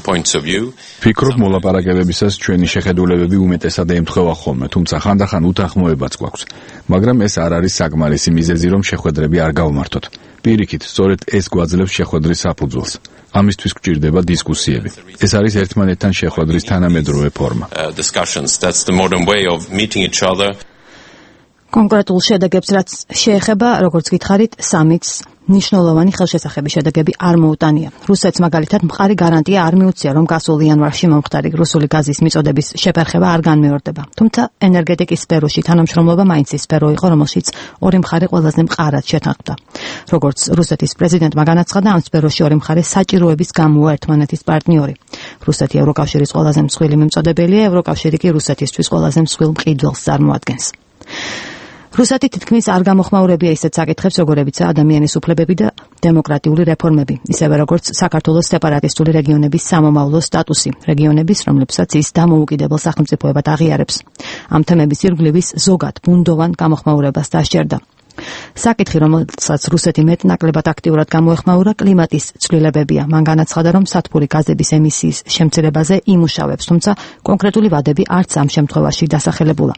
Q: points of view.
B: ფიქრობ მოლაპარაკებებისას ჩვენი შეხედულებები უმეტესად ემთხვევა ხოლმე, თუმცა ხანდახან უთანხმოებაც გვაქვს. მაგრამ ეს არ არის საკმარისი მიზეზი, რომ შეხვედრები არ გავმართოთ. პირიქით, სწორედ ეს გვაძლევს შეხვედრის საფუძველს. ამისთვის გვჭირდება დისკუსიები. ეს არის ერთმანეთთან შეხვედრის თანამედროვე ფორმა.
Q: Discussions, that's the modern way of meeting each other.
A: კონკრეტულ შედეგებს რაც შეეხება, როგორც გითხარით, სამიტს ნიშნულოვანი ხელშესახების შედეგები არ მოუტანია. რუსეთს მაგალითად მყარი გარანტია არ მიუწია, რომ გასულ იანვარში მომხდარი რუსული გაზის მიწოდების შეფერხება არ განმეორდება. თუმცა ენერგეტიკის სფეროში თანამშრომლობა მაინც ის სფერო იყო, რომელშიც ორი მხარე ყველაზე მყარად შეთანხმდა. როგორც რუსეთის პრეზიდენტმა განაცხადა, ამ სფეროში ორი მხარე საჭიროების გამოა ერთმანეთის პარტნიორი. რუსეთი ევროკავშირის ყველაზე მსხვილი მიმწოდებელია, ევროკავშირი კი რუსეთისთვის ყველაზე მსხვილ მყიდველს წარმოადგენს. რუსეთი თითქმის არ გამოხმაურებია ისეთ საკითხებს, როგორებიცაა ადამიანის უფლებები და დემოკრატიული რეფორმები, ისევე როგორც საქართველოს სეპარატისტული რეგიონების სამომავლო სტატუსი, რეგიონების, რომლებსაც ის დამოუკიდებელ სახელმწიფოებად აღიარებს. ამ თემების ირგვლივის ზოგად ბუნდოვან გამოხმაურებას დასჯერდა. საკითხი, რომელსაც რუსეთი მეტნაკლებად აქტიურად გამოეხმაურა, კლიმატის ცვლილებებია. მან განაცხადა, რომ სათბური გაზების ემისიის შემცირებაზე იმუშავებს, თუმცა კონკრეტული ვადები არც ამ შემთხვევაში დასახელებულა.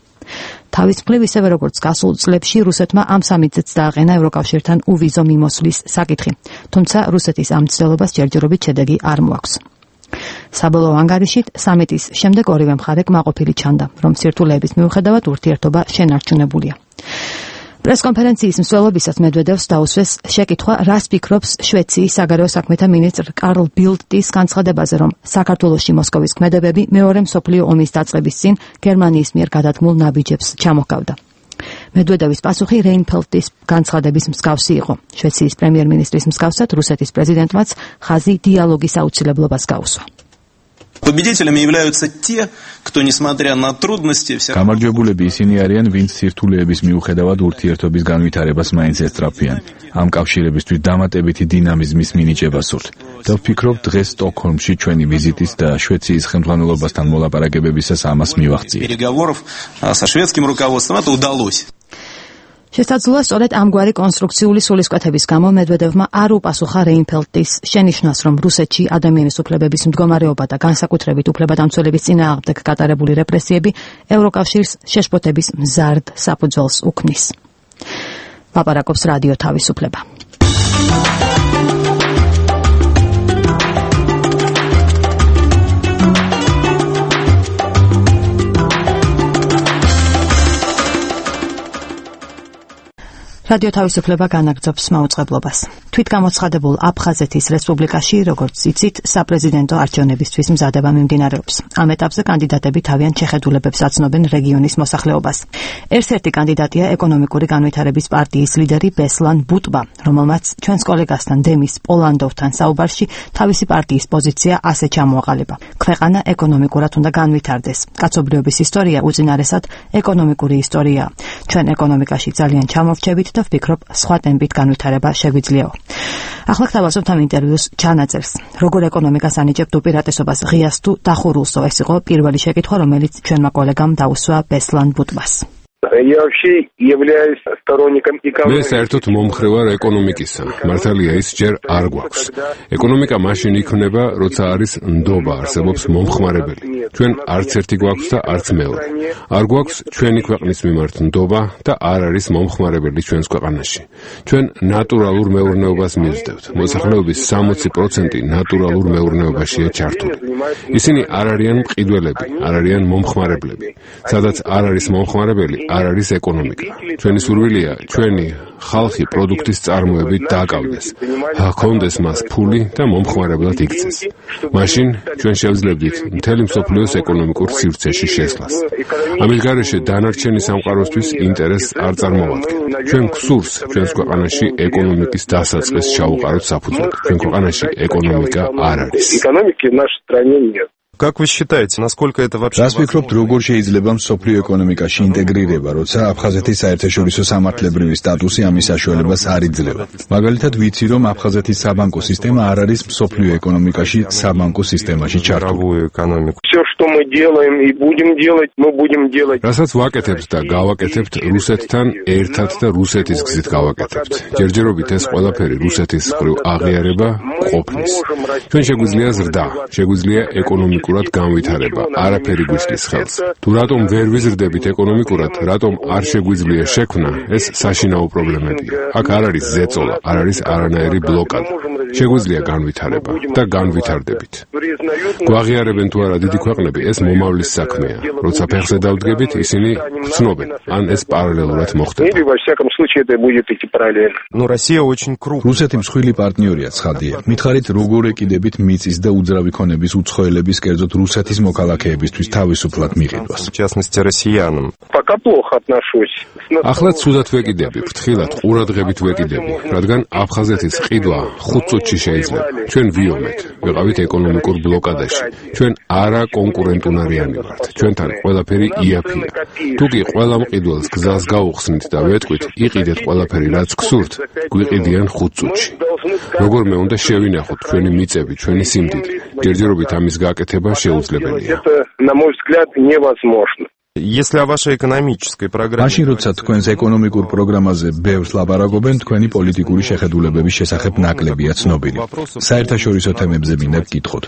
A: თავის მხრივ, ისევე როგორც გასულ წლებში, რუსეთმა ამ სამიტზეც დააყენა ევროკავშირთან უვიზო მიმოსვლის საკითხი, თუმცა რუსეთის ამ ცდილობას ჯერჯერობით შედეგი არ მოაქვს. საბოლოო ანგარიშით სამიტის შემდეგ ორივე მხარე კმაყოფილი ჩანდა, რომ სირთულეების მიუხედავად ურთიერთობა შენარჩუნებულია. პრესკონფერენციის მსვლელობისას მედვედევს დაუსვეს შეკითხვა, რას ფიქრობს შვეიციის საგარეო საქმეთა მინისტრ კარლ ბილდტის განცხადებაზე, რომ საქართველოში მოსკოვის ქმედებები მეორე მსოფლიო ომის დაწყების წინ გერმანიის მიერ გადადგმულ ნაბიჯებს ჩამოჰგავდა. მედვედევის პასუხი რეინფელდის განცხადების მსგავსი იყო. შვეიცარიის პრემიერ-მინისტრის მსგავსად რუსეთის პრეზიდენტმაც ხაზი დიალოგის აუცილებლობას გაუსვა.
R: Победителями являются те, кто, несмотря на трудности,
S: გამარჯვებულები ისინი არიან, ვინც სირთულეების მიუხედავად ურთიერთობის განვითარებას მაინც ესწრაფვიან. ამ კავშირებისთვის დამატებითი დინამიზმის მინიჭებას სურთ. და ვფიქრობ, დღეს სტოკჰოლმში ჩვენი ვიზიტის და შვეიცარიის ხელმძღვანელობასთან მოლაპარაკებებისას ამას მივახციეთ.
R: переговоров со шведским руководством это удалось.
A: შესაძლოა სწორედ ამგვარი კონსტრუქციული სულისკვეთების გამო მედვედევმა არ უპასუხა რეინფელდის შენიშვნას, რომ რუსეთში ადამიანის უფლებების მდგომარეობა და განსაკუთრებით უფლებადამცველების წინააღმდეგ გატარებული რეპრესიები ევროკავშირს შეშფოთების მზარდ საფუძველს უქმნის. ლაპარაკობს რადიო თავისუფლება. რადიო თავისუფლება განაგრძობს მაუწყებლობას. თვითგამოცხადებულ აფხაზეთის რესპუბლიკაში, როგორც იცით, საპრეზიდენტო არჩევნებისთვის მზადება მიმდინარეობს. ამ ეტაპზე კანდიდატები თავიანთ შეხედულებებს აცნობენ რეგიონის მოსახლეობას. ერთ-ერთი კანდიდატია ეკონომიკური განვითარების პარტიის ლიდერი ბესლან ბუტბა, რომელმაც ჩვენს კოლეგასთან დემის პოლანდოვთან საუბარში თავისი პარტიის პოზიცია ასე ჩამოაყალიბა. ქვეყანა ეკონომიკურად უნდა განვითარდეს. კაცობრიობის ისტორია უწინარესად ეკონომიკური ისტორიაა. ჩვენ ეკონომიკაში ძალიან ჩამოვრჩებით და ვფიქრობ, სხვა ტემპით განვითარება შეგვიძლიაო. ახლა გთავაზობთ ამ ინტერვიუს ჩანაწერს. როგორ ეკონომიკას ანიჭებთ უპირატესობას ღიას თუ დახურულსო? ეს იყო პირველი შეკითხვა, რომელიც ჩვენმა კოლეგამ დაუსვა ბესლან ბუტბას.
T: Я вообще являюсь сторонником
F: მე საერთოდ მომხრე ვარ ეკონომიკისა. მართალია ის ჯერ არ გვაქვს. ეკონომიკა მაშინ იქნება, როცა არის ნდობა, არსებობს მომხმარებელი. ჩვენ არც ერთი გვაქვს და არც მეორე. არ გვაქვს ჩვენი ქვეყნის მიმართ ნდობა და არ არის მომხმარებელი ჩვენს ქვეყანაში. ჩვენ ნატურალურ მეურნეობას მივსდევთ. მოსახლეობის 60% ნატურალურ მეურნეობაშია ჩართული. ისინი არ არიან მყიდველები, არ არიან მომხმარებლები. სადაც არ არის მომხმარებელი, არ არის ეკონომიკა. ჩვენი სურვილია, ჩვენი ხალხი პროდუქტის წარმოებით დააკავდეს, ჰქონდეს მას ფული და მომხმარებლად იქცეს. მაშინ ჩვენ შევძლებდით მთელი მსოფლიოს ეკონომიკურ სივრცეში შესვლას. ამის გარეშე დანარჩენი სამყაროსთვის ინტერესს არ წარმოვადგენ. ჩვენ გვსურს ჩვენს ქვეყანაში ეკონომიკის დასაწყის ჩაუყაროთ საფუძველი. ჩვენ ქვეყანაში ეკონომიკა არ არის.
T: Экономики в нашей стране нет.
U: Как вы считаете, насколько это вообще
S: რას ვფიქრობთ, როგორ შეიძლება მსოფლიო ეკონომიკაში ინტეგრირება, როცა აფხაზეთის საერთაშორისო სამართლებრივი სტატუსი ამის საშუალებას არ იძლევა? მაგალითად, ვიცი, რომ აფხაზეთის საბანკო სისტემა არ არის მსოფლიო ეკონომიკაში საბანკო სისტემაში ჩართული.
T: Все, что мы делаем и будем делать, мы будем делать.
F: რასაც ვაკეთებთ და გავაკეთებთ რუსეთთან ერთად და რუსეთის გზით გავაკეთებთ. ჯერჯერობით ეს ყველაფერი რუსეთის მხრივ აღიარება ყოფნის. ჩვენ შეგვიძლია ზრდა, შეგვიძლია ეკონომიკურად განვითარება, არაფერი გვისლის ხელს. თუ რატომ ვერ ვიზრდებით ეკონომიკურად, რატომ არ შეგვიძლია შექმნა, ეს საშინაო პრობლემებია. აქ არ არის ზეწოლა, არ არის არანაირი ბლოკადა. შეგვიძლია განვითარება და განვითარდებით. გვაღიარებენ თუ არა დიდი ქვეყნები, ეს მომავლის საქმეა. როცა ფეხზე დავდგებით, ისინი გრძნობენ, ან ეს პარალელურად მოხდება.
S: რუსეთი მსხვილი პარტნიორია, ცხადია. მითხარით, როგორ ეკიდებით მიწის და უძრავი ქონების უცხოელების, კერძოდ რუსეთის მოქალაქეებისთვის თავისუფლად მიყიდვას.
T: Пока плохо отношусь.
F: ახლა ცუდად ვეკიდები, ფრთხილად, ყურადღებით ვეკიდები, რადგან აფხაზეთის ყიდვა 5 წუთში შეიძლება. ჩვენ ვიომეთ, ვიყავით ეკონომიკურ ბლოკადაში. ჩვენ არა კონკურენტუნარიანი ვართ. ჩვენთან ყველაფერი იაფია. თუ კი ყველა მყიდველს გზას გაუხსნით და ვეტყვით, იყიდეთ ყველაფერი, რაც გსურთ, გვიყიდიან 5 წუთში. როგორმე უნდა შევინახოთ ჩვენი მიწები, ჩვენი სიმდიდრე. ჯერჯერობით ამის გაკეთება შეუძლებელია.
T: Это, на мой взгляд, невозможно.
U: Если о вашей экономической программе...
S: მაშინ, როცა თქვენს ეკონომიკურ პროგრამაზე ბევრს ლაპარაკობენ, თქვენი პოლიტიკური შეხედულებების შესახებ ნაკლებია ცნობილი. საერთაშორისო თემებზე მინდა გკითხოთ.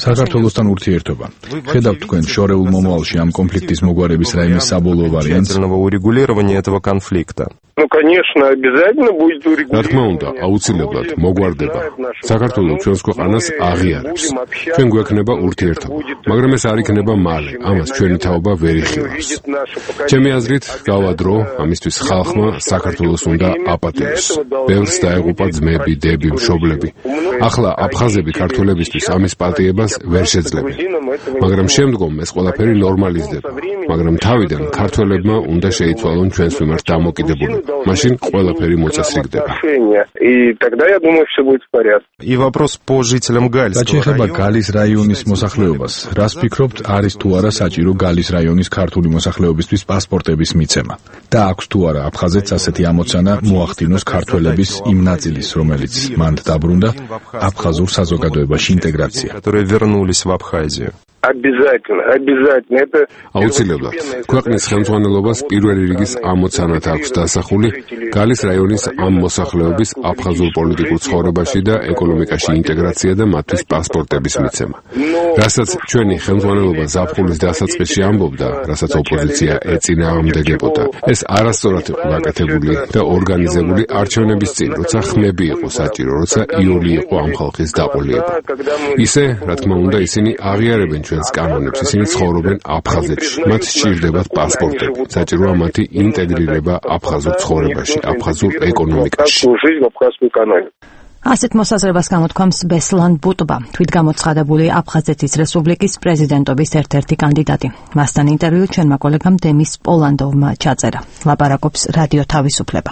S: საქართველოსთან ურთიერთობა. ხედავთ თქვენ შორეულ მომავალში ამ კონფლიქტის მოგვარების რაიმე საბოლოო ვარიანტს?
U: урегулирования этого конфликта.
T: Ну, конечно, обязательно будет урегулировано.
F: რა თქმა უნდა, აუცილებლად მოგwardება. საქართველოს ჩვენს ქვეყანას აღიარებს. ჩვენ გვექნება ურთიერთობა, მაგრამ ეს არ იქნება მალე. ამას ჩვენი თაობა ვერ იხილავს. ამბობს. ჩემი აზრით, გავა დრო, ამისთვის ხალხმა საქართველოს უნდა აპატიოს. ბევრს დაეღუპა ძმები, დები, მშობლები. ახლა აფხაზები ქართველებისთვის ამის პატიებას ვერ შეძლებენ. მაგრამ შემდგომ ეს ყველაფერი ნორმალიზდება. მაგრამ თავიდან ქართველებმა უნდა შეიცვალონ ჩვენს მიმართ დამოკიდებულება. მაშინ ყველაფერი მოწესრიგდება.
U: И вопрос по жителям Гальского
S: რაჩეხება გალის რაიონის მოსახლეობას. რას ფიქრობთ, არის თუ არა საჭირო გალის რაიონის ქართული მოსახლეობისთვის პასპორტების მიცემა? და აქვს თუ არა აფხაზეთს ასეთი ამოცანა მოახდინოს ქართველების იმ ნაწილის, რომელიც მანდ დაბრუნდა აფხაზურ საზოგადოებაში ინტეგრაცია.
U: которые вернулись в Абхазию.
T: Обязательно.
F: აუცილებლად ქვეყნის ხელმძღვანელობას პირველი რიგის ამოცანათ აქვს დასახული გალის რაიონის ამ მოსახლეობის აფხაზურ პოლიტიკურ ცხოვრებაში და ეკონომიკაში ინტეგრაცია და მათთვის პასპორტების მიცემა. რასაც ჩვენი ხელმძღვანელობა ზაფხულის დასაწყისში ამბობდა, რასაც ოპოზიცია ეწინააღმდეგებოდა, ეს არასწორად იყო გაკეთებული და ორგანიზებული არჩევნების წინ, როცა ხმები იყო საჭირო, როცა იოლი იყო ამ ხალხის დაყოლიება. ისე, რა თქმა უნდა, ისინი აღიარებენ ჩვენს კანონებს, ისინი ცხოვრობენ აფხაზეთში. მათ სჭირდებათ პასპორტები. საჭიროა მათი ინტეგრირება აფხაზურ ცხოვრებაში, აფხაზურ ეკონომიკაში.
A: ასეთ მოსაზრებას გამოთქვამს ბესლან ბუტბა, თვითგამოცხადებული აფხაზეთის რესპუბლიკის პრეზიდენტობის ერთ-ერთი კანდიდატი. მასთან ინტერვიუ ჩვენმა კოლეგამ დემის პოლანდოვმა ჩაწერა. ლაპარაკობს რადიო თავისუფლება.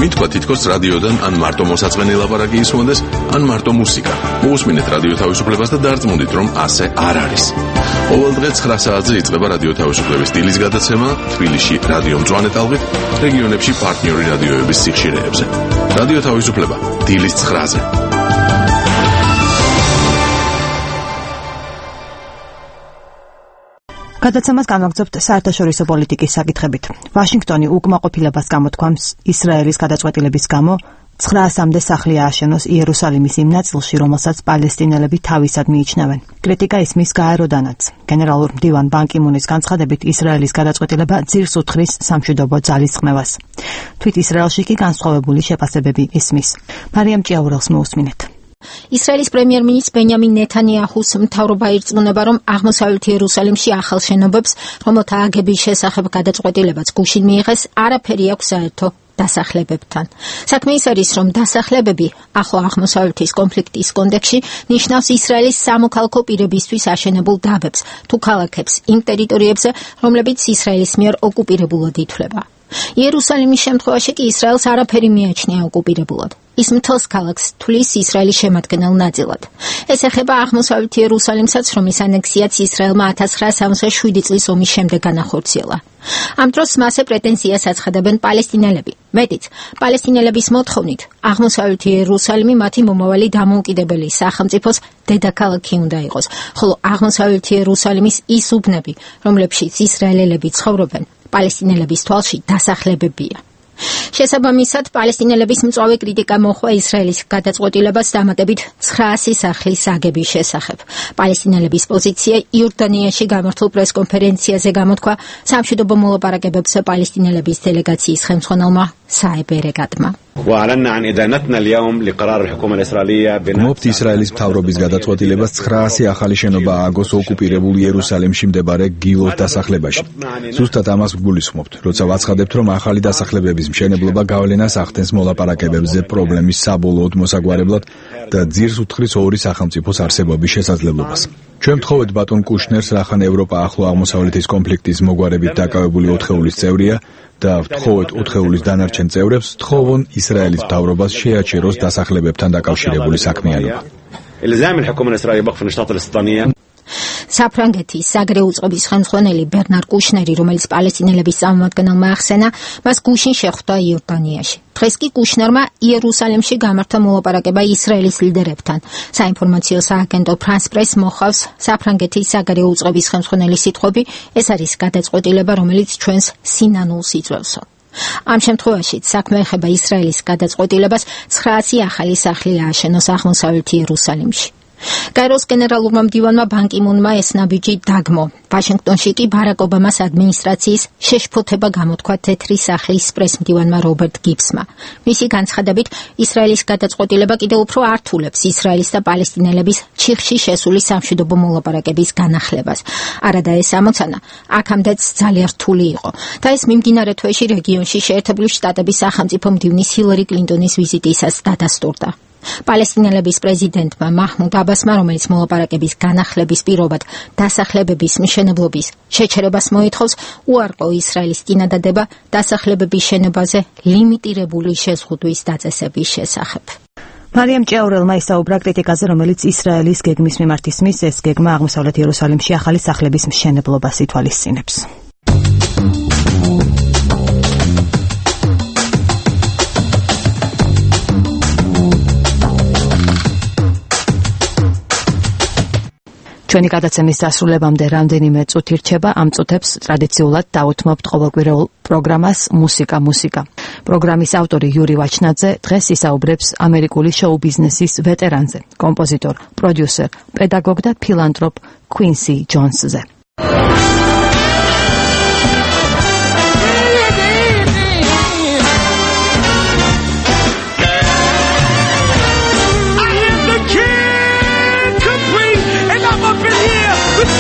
M: მითქვა თითქოს რადიოდან ან მარტო მოსაწყენი ლაპარაკი ისმოდეს, ან მარტო მუსიკა. მოусმინეთ რადიო თავისუფლებას და დარწმუნდით, რომ ასე არ არის. ყოველ დღე 9 საათზე იწყება რადიო თავისუფლების დილის გადაცემა თბილისში რადიო მწვანე ტალღით, რეგიონებში პარტნიორი რადიოების სიხშირეებზე. რადიო თავისუფლება დილის 9-ზე.
A: გადაცემას განვაგრძობთ საერთაშორისო პოლიტიკის საკითხებით. ვაშინგტონი უკმაყოფილებას გამოთქვამს ისრაელის გადაწყვეტილების გამო 900-მდე სახლი ააშენოს იერუსალიმის იმ ნაწილში, რომელსაც პალესტინელები თავისად მიიჩნევენ. კრიტიკა ისმის გაეროდანაც. გენერალურ მდივან ბან კი მუნის განცხადებით, ისრაელის გადაწყვეტილება ძირს უთხრის სამშვიდობო ძალისხმევას. თვით ისრაელში კი განსხვავებული შეფასებები ისმის. მარიამ ჭიაურელს მოусმინეთ.
B: ისრაელის პრემიერ-მინისტრ ბენიამინ ნეთანიაჰუს მთავრობა ირწმუნება, რომ აღმოსავლეთ იერუსალიმში ახალ შენობებს, რომელთა აგების შესახებ გადაწყვეტილებაც გუშინ მიიღეს, არაფერი აქვს საერთო დასახლებებთან. საქმე ის არის, რომ დასახლებები ახლო აღმოსავლეთის კონფლიქტის კონტექსტში ნიშნავს ისრაელის სამოქალაქო პირებისთვის აშენებულ დაბებს თუ ქალაქებს იმ ტერიტორიებზე, რომლებიც ისრაელის მიერ ოკუპირებულად ითვლება. იერუსალიმის შემთხვევაში კი ისრაელს არაფერი მიაჩნია ოკუპირებულად. ის მთელს ქალაქს თვლის ისრაელის შემადგენელ ნაწილად. ეს ეხება აღმოსავლეთ იერუსალიმსაც, რომლის ანექსიაც ისრაელმა 1967 წლის ომის შემდეგ განახორციელა. ამ დროს მასზე პრეტენზიას აცხადებენ პალესტინელები. მეტიც, პალესტინელების მოთხოვნით, აღმოსავლეთ იერუსალიმი მათი მომავალი დამოუკიდებელი სახელმწიფოს დედაქალაქი უნდა იყოს, ხოლო აღმოსავლეთ იერუსალიმის ის უბნები, რომლებშიც ისრაელელები ცხოვრობენ, პალესტინელების თვალში დასახლებებია. შესაბამისად, პალესტინელების მწვავე კრიტიკა მოჰყვა ისრაელის გადაწყვეტილებას დამატებით 900 სახლის აგების შესახებ. პალესტინელების პოზიცია იორდანიაში გამართულ პრესკონფერენციაზე გამოთქვა სამშვიდობო მოლაპარაკებებზე პალესტინელების დელეგაციის ხელმძღვანელმა საებ ერეგატმა.
S: გმობთ ისრაელის მთავრობის გადაწყვეტილებას 900 ახალი შენობა ააგოს ოკუპირებულ იერუსალიმში მდებარე გილოს დასახლებაში. ზუსტად ამას გულისხმობთ, როცა ვაცხადებთ, რომ ახალი დასახლებების მშენებლობა გავლენას ახდენს მოლაპარაკებებზე პრობლემის საბოლოოდ მოსაგვარებლად და ძირს უთხრის ორი სახელმწიფოს არსებობის შესაძლებლობას. ჩვენ ვთხოვეთ ბატონ კუშნერს, რახან ევროპა ახლო აღმოსავლეთის კონფლიქტის მოგვარებით დაკავებული 4-ეულის წევრია და ვთხოვეთ 4-ეულის დანარჩენ წევრებს, თხოვონ ისრაელის მთავრობას შეაჩეროს დასახლებებთან დაკავშირებული საქმიანობა.
B: საფრანგეთის საგარეო წყობის ხელმძღვანელი ბერნარ კუშნერი, რომელიც პალესტინელების წარმომადგენელმა ახსენა, მას გუშინ შეხვდა იორდანიაში. დღეს კი კუშნერმა იერუსალიმში გამართა მოლაპარაკება ისრაელის ლიდერებთან. საინფორმაციო სააგენტო ფრანს პრეს მოხავს საფრანგეთის საგარეო წყობის ხელმძღვანელის სიტყვები, ეს არის გადაწყვეტილება, რომელიც ჩვენს სინანულს იწვევსო. ამ შემთხვევაშიც საქმე ეხება ისრაელის გადაწყვეტილებას 900 ახალი სახლი ააშენოს აღმოსავლეთ იერუსალიმში.
D: კაიროს გენერალურმა მდივანმა ბან კი მუნმა ეს ნაბიჯი დაგმო. ვაშინგტონში კი ბარაკ ობამას ადმინისტრაციის შეშფოთება გამოთქვა თეთრი სახლის პრეს-მდივანმა რობერტ გიბსმა. მისი განცხადებით, ისრაელის გადაწყვეტილება კიდევ უფრო ართულებს ისრაელის და პალესტინელების ჩიხში შესული სამშვიდობო მოლაპარაკების განახლებას. არადა ეს ამოცანა აქამდეც ძალიან რთული იყო და ეს მიმდინარე თვეში რეგიონში შეერთებული შტატების სახელმწიფო მდივნის ჰილარი კლინტონის ვიზიტისას დადასტურდა. პალესტინელების პრეზიდენტმა მაჰმუდ აბასმა, რომელიც მოლაპარაკების განახლების პირობად დასახლებების მშენებლობის შეჩერებას მოითხოვს, უარყო ისრაელის წინადადება დასახლებების შენობაზე ლიმიტირებული შეზღუდვის დაწესების შესახებ.
A: მარიამ ჭიაურელმა ისაუბრა კრიტიკაზე, რომელიც ისრაელის გეგმის მიმართ ისმის. ეს გეგმა აღმოსავლეთ იერუსალიმში ახალი სახლების მშენებლობას ითვალისწინებს. ჩვენი გადაცემის დასრულებამდე რამდენიმე წუთი რჩება. ამ წუთებს ტრადიციულად დავუთმობთ ყოველკვირეულ პროგრამას მუსიკა. პროგრამის ავტორი იური ვაჩნაძე დღეს ისაუბრებს ამერიკული შოუ ბიზნესის ვეტერანზე, კომპოზიტორ, პროდიუსერ, პედაგოგ და ფილანტროპ Quincy Jonesზე.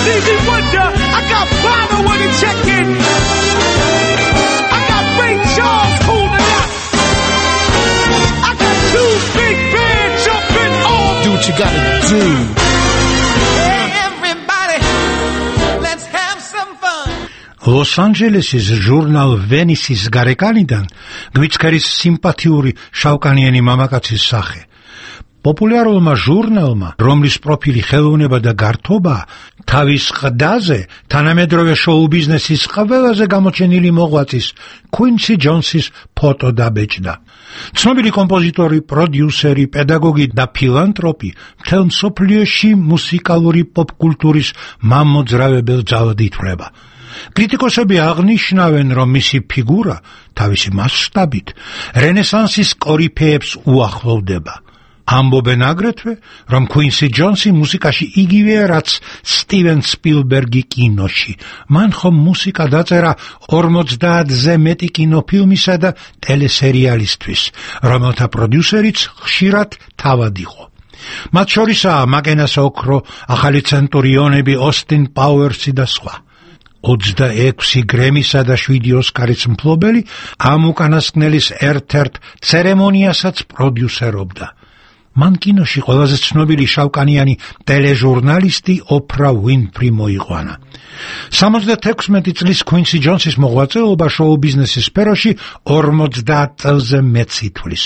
V: Stevie Wonder, I got Bono on the check-in. I got Ray Charles holding up. I got two big bands jumping on. Do what you gotta do. Hey, everybody, let's have some fun.
W: Los Angeles-ის ჟურნალ Venice-ის გარეკანიდან გვიჩქერის სიმპათიური შავკანიანი მამაკაცის სახე. პოპულარულმა ჟურნალმა, რომლის პროფილი ხელოვნება და გართობა, თავის ყდაზე თანამედროვე შოუ ბიზნესის ყველაზე გამოჩენილი მოღვაწის Quincy Jones-ის ფოტო დაბეჭდა. ცნობილი კომპოზიტორი, პროდიუსერი, პედაგოგი და ფილანტროპი მთელ მსოფლიოში მუსიკალური პოპკულტურის მამოძრავებელ ძალად ითვლება. კრიტიკოსები აღნიშნავენ, რომ მისი ფიგურა თავისი მასშტაბით რენესანსის კორიფეებს უახლოვდება. ამბობენ აგრეთვე, რომ Quincy Jones-ი მუსიკაში იგივეა, რაც სტივენ სპილბერგი კინოში. მან ხომ მუსიკა დაწერა 50-ზე მეტი კინოფილმისა და ტელესერიალისთვის, რომელთა პროდიუსერიც ხშირად თავად იყო. მათ შორისაა მაკენას ოქრო, ახალი ცენტურიონები, ოსტინ პაუერსი და სხვა. 26 გრემისა და 7 ოსკარის მფლობელი ამ უკანასკნელის ერთ-ერთ ცერემონიასაც პროდიუსერობდა. მან კინოში ყველაზე ცნობილი შავკანიანი ტელეჟურნალისტი ოფრა უინფრი მოიყვანა. 76 წლის Quincy Jones-ის მოღვაწეობა შოუ ბიზნესის სფეროში 50 წელზე მეც ითვლის.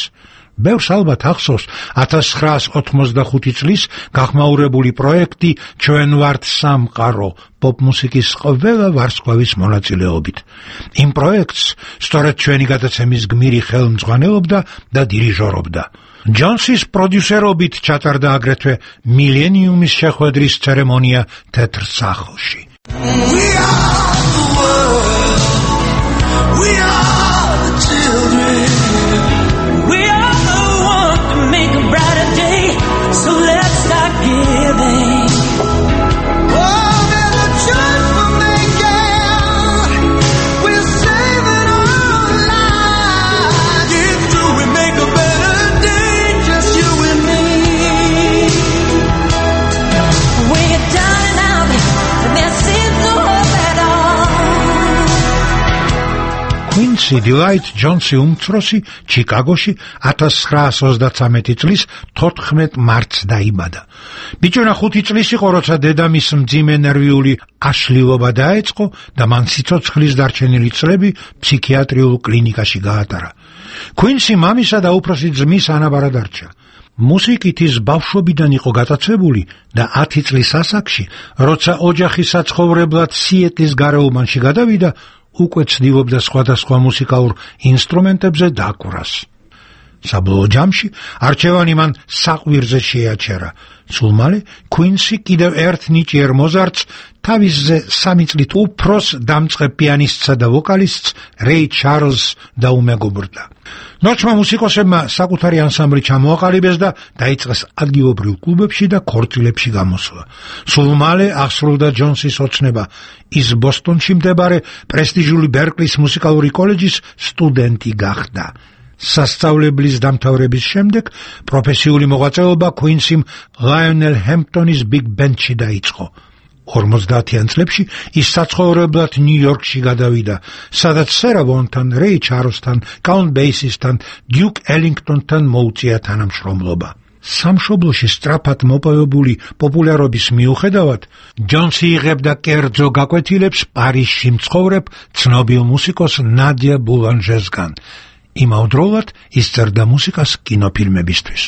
W: ბევრს ალბათ ახსოვს 1985 წლის გახმაურებული პროექტი ჩვენ ვართ სამყარო პოპ-მუსიკის ყველა ვარსკვლავის მონაწილეობით. იმ პროექტს სწორედ ჩვენი გადაცემის გმირი ხელმძღვანელობდა და დირიჟორობდა. ჯონსის პროდიუსერობით ჩატარდა აგრეთვე მილენიუმის შეხვედრის ცერემონია თეთრ სახლში. We are the world. We are the children. We are the one to make a brighter day. So let's start giving. Oh, there's a choice for making. We're saving our lives. Get through and make a better day. Just you and me. We're down and out, and there seems no hope at all. Quincy Dwight Jones-ი უმცროსი ჩიკაგოში 1933 წლის 14 მარტს დაიბადა. ბიჭუნა 5 წლის იყო, როცა დედამის მძიმე ნერვიული აშლილობა დაეწყო და მან სიცოცხლის დარჩენილი წლები ფსიქიატრიულ კლინიკაში გაატარა. Quincy მამისა და უფროსი ძმის ანაბარა დარჩა. მუსიკით ის ბავშვობიდან იყო გატაცებული და 10 წლის ასაკში, როცა ოჯახი საცხოვრებლად სიეტლის გარეუბანში გადავიდა, უკვე ცდილობდა სხვადასხვა მუსიკალურ ინსტრუმენტებზე დაკვრას. საბოლოო ჯამში არჩევანი მან საყვირზე შეაჩერა. სულ მალე Quincy კიდევ ერთ ნიჭიერ მოზარდს თავისზე 3 წლით უფროს დამწყებ პიანისტსა და ვოკალისტს რეი ჩარლზს დაუმეგობრდა. ნოჩმა მუსიკოსებმა საკუთარი ანსამბლი ჩამოაყალიბეს და დაიწყეს ადგილობრივ კლუბებში და ქორწილებში გამოსვლა. სულ მალე აღსრულდა ჯონსის ოცნება. ის ბოსტონში მდებარე პრესტიჟული ბერკლის მუსიკალური კოლეჯის სტუდენტი გახდა. სასწავლებლის დამთავრების შემდეგ პროფესიული მოღვაწეობა Quincy-მ Lionel Hamptonis Big Band-ში დაიწყო. 50-იან წლებში ის საცხოვრებლად ნიუ-იორკში გადავიდა, სადაც Sarah Vaughan-თან, Ray Charles-თან, Count Basie-თან, Duke Ellington-თან მოუწია თანამშრომლობა. სამშობლოში სწრაფად მოპოვებული პოპულარობის მიუხედავად, ჯონსი იღებდა კერძო გაკვეთილებს პარიზში მცხოვრებ ცნობილ მუსიკოს ნადია ბულანჟესგან. იმავდროულად ის წერდა მუსიკას კინოფილმებისთვის.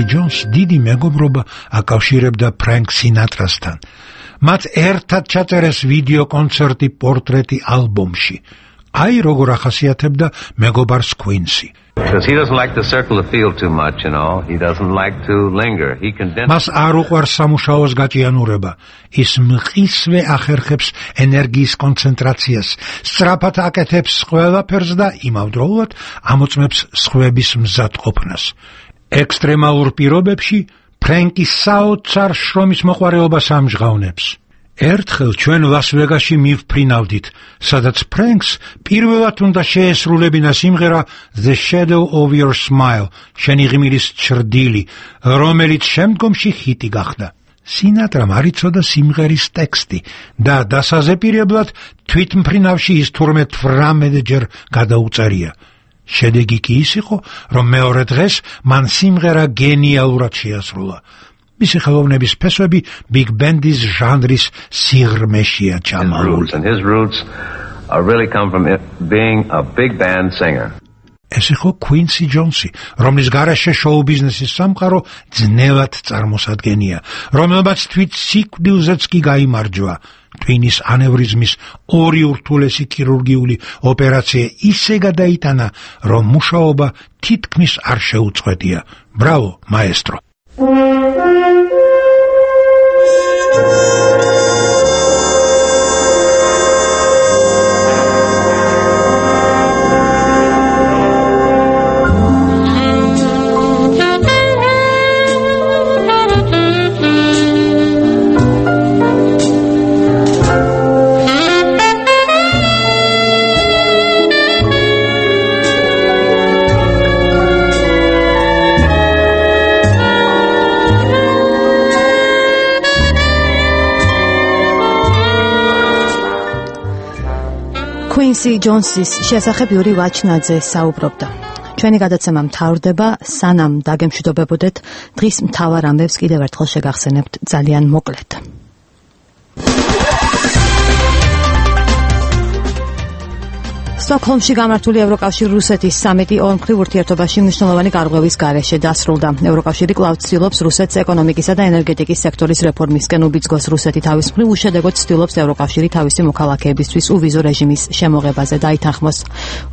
W: ჯონს დიდი მეგობრობა აკავშირებდა ფრენკ სინატრასთან. მათ ერთად ჩაწერეს ვიდეო კონცერტი პორტრეტი ალბომში. აი როგორ ახასიათებდა მეგობარს Quincy.
C: Because he doesn't like to circle the field too much, you know. He doesn't like to linger. He condenses.
W: მას არ უყვარს სამუშაოს გაჭიანურება. ის მყისვე ახერხებს ენერგიის კონცენტრაციას, სწრაფად აკეთებს ყველაფერს და იმავდროულად ამოწმებს სხვების მზადყოფნას. ექსტრემალურ პირობებში ფრენკის საოცარ შრომის მოყვარეობას ამჟღავნებს. ერთხელ ჩვენ ლას-ვეგასში მივფრინავდით, სადაც ფრენკს პირველად უნდა შეესრულებინა სიმღერა The Shadow of Your Smile, შენი ღიმილის ჩრდილი, რომელიც შემდგომში ჰიტი გახდა. სინატრამ არ იცოდა სიმღერის ტექსტი და დასაზეპირებლად თვითმფრინავში ის თურმე 18 ჯერ გადაუწერია. შედეგი კი ის იყო, რომ მეორე დღეს მან სიმღერა გენიალურად შეასრულა. მისი ხელოვნების ფესვები Big Band-ის ჟანრის სიღრმეშია ჩამალული.
C: His roots really come from being a big band singer.
W: ეს იყო Quincy Jones-ი, რომლის გარეშე შოუ-ბიზნესის სამყარო ძნელად წარმოსადგენია, რომელმაც თვით სიკვდილზეც კი გაიმარჯვა. ტვინის ანევრიზმის 2 ურთულესი ქირურგიული ოპერაცია ისე გადაიტანა, რომ მუშაობა თითქმის არ შეუწყვეტია. ბრავო, მაესტრო!
A: Quincy Jones-ის შესახებ იური ვაჩნაძე საუბრობდა. ჩვენი გადაცემა მთავრდება, სანამ დაგემშვიდობებოდეთ, დღის მთავარ ამბებს კიდევ ერთხელ შეგახსენებთ ძალიან მოკლედ. სტოკჰოლმში გამართული ევროკავშირ-რუსეთის სამიტი ორმხრივ ურთიერთობაში მნიშვნელოვანი გარღვევის გარეშე დასრულდა. ევროკავშირი კვლავ ცდილობს რუსეთს ეკონომიკისა და ენერგეტიკის სექტორის რეფორმისკენ უბიძგოს. რუსეთი თავის მხრივ უშედეგოდ ცდილობს ევროკავშირი თავისი მოქალაქეებისთვის უვიზო რეჟიმის შემოღებაზე დაითანხმოს.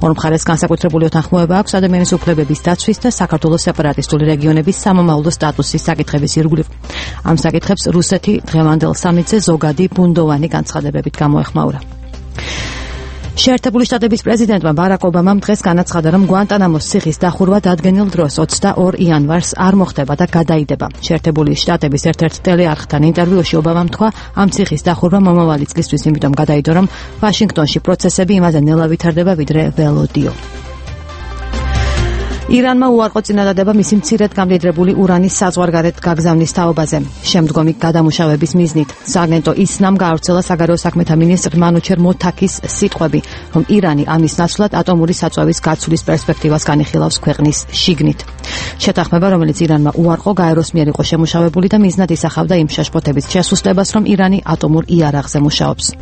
A: ორ მხარეს განსაკუთრებული უთანხმოება აქვს ადამიანის უფლებების დაცვის და საქართველოს სეპარატისტული რეგიონების სამომავლო სტატუსის საკითხების ირგვლივ. ამ საკითხებს რუსეთი დღევანდელ სამიტზე ზოგადი ბუნდოვანი განცხადებებით გამოეხმაურა. შეერთებული შტატების პრეზიდენტმა ბარაკ ობამამ დღეს განაცხადა, რომ გვანტანამოს ციხის დახურვა დადგენილ დროს 22 იანვარს არ მოხდება და გადაიდება. შეერთებული შტატების ერთ-ერთ ტელეარხთან ინტერვიუში ობამამ თქვა, ამ ციხის დახურვა მომავალი წლისთვის იმიტომ გადაიდო, რომ ვაშინგტონში პროცესები იმაზე ნელა ვითარდება, ვიდრე ველოდიო. ირანმა უარყო წინადადება მისი მცირედ გამდიდრებული ურანის საზღვარგარეთ გაგზავნის თაობაზე. შემდგომი გადამუშავების მიზნით სააგენტო ისნამ გაავრცელა საგარეო საქმეთა მინისტრ მანუჩერ მოთაქის სიტყვები, რომ ირანი ამის ნაცვლად ატომური საწვევის გაცვლის პერსპექტივას განიხილავს ქვეყნის შიგნით. შეთანხმება, რომელიც ირანმა უარყო, გაეროს მიერ იყო შემუშავებული და მიზნად ისახავდა იმ შეშფოთების შესუსტებას, რომ ირანი ატომურ იარაღზე მუშაობს.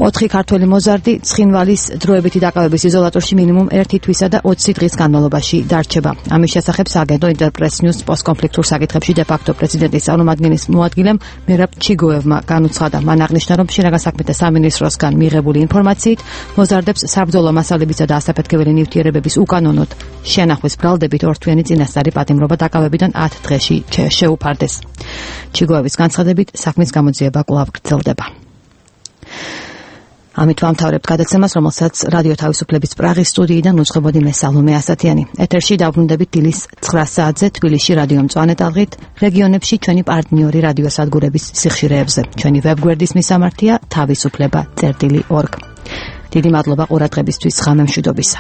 A: 4 ქართველი მოზარდი ცხინვალის დროებითი დაკავების იზოლატორში მინიმუმ 1 თვისა და 20 დღის განმავლობაში დარჩება. ამის შესახებ სააგენტო ინტერპრეს ნიუს პოსტკონფლიქტურ საკითხებში დე-ფაქტო პრეზიდენტის წარმომადგენლის მოადგილემ მერაბ ჩიგოევმა განუცხადა. მან აღნიშნა, რომ შინაგან საქმეთა სამინისტროსგან მიღებული ინფორმაციით მოზარდებს საბრძოლო მასალებისა და ასაფეთქებელი ნივთიერებების უკანონოდ შენახვის ბრალდებით ორთვიანი წინასწარი პატიმრობა დაკავებიდან 10 დღეში შეუფარდეს. ჩიგოევის განცხადებით საქმის გამოძიება კვლავ გრძელდება. ამით ვამთავრებთ გადაცემას, რომელსაც რადიო თავისუფლების პრაღის სტუდიიდან უძღვებოდი მე სალომე ასათიანი. ეთერში დავბრუნდებით დილის 9 საათზე თბილისში რადიო მწვანე ტალღით, რეგიონებში ჩვენი პარტნიორი რადიოსადგურების სიხშირეებზე. ჩვენი ვებგვერდის მისამართია თავისუფლება.org. დიდი მადლობა ყურადღებისთვის, ღამემშვიდობისა.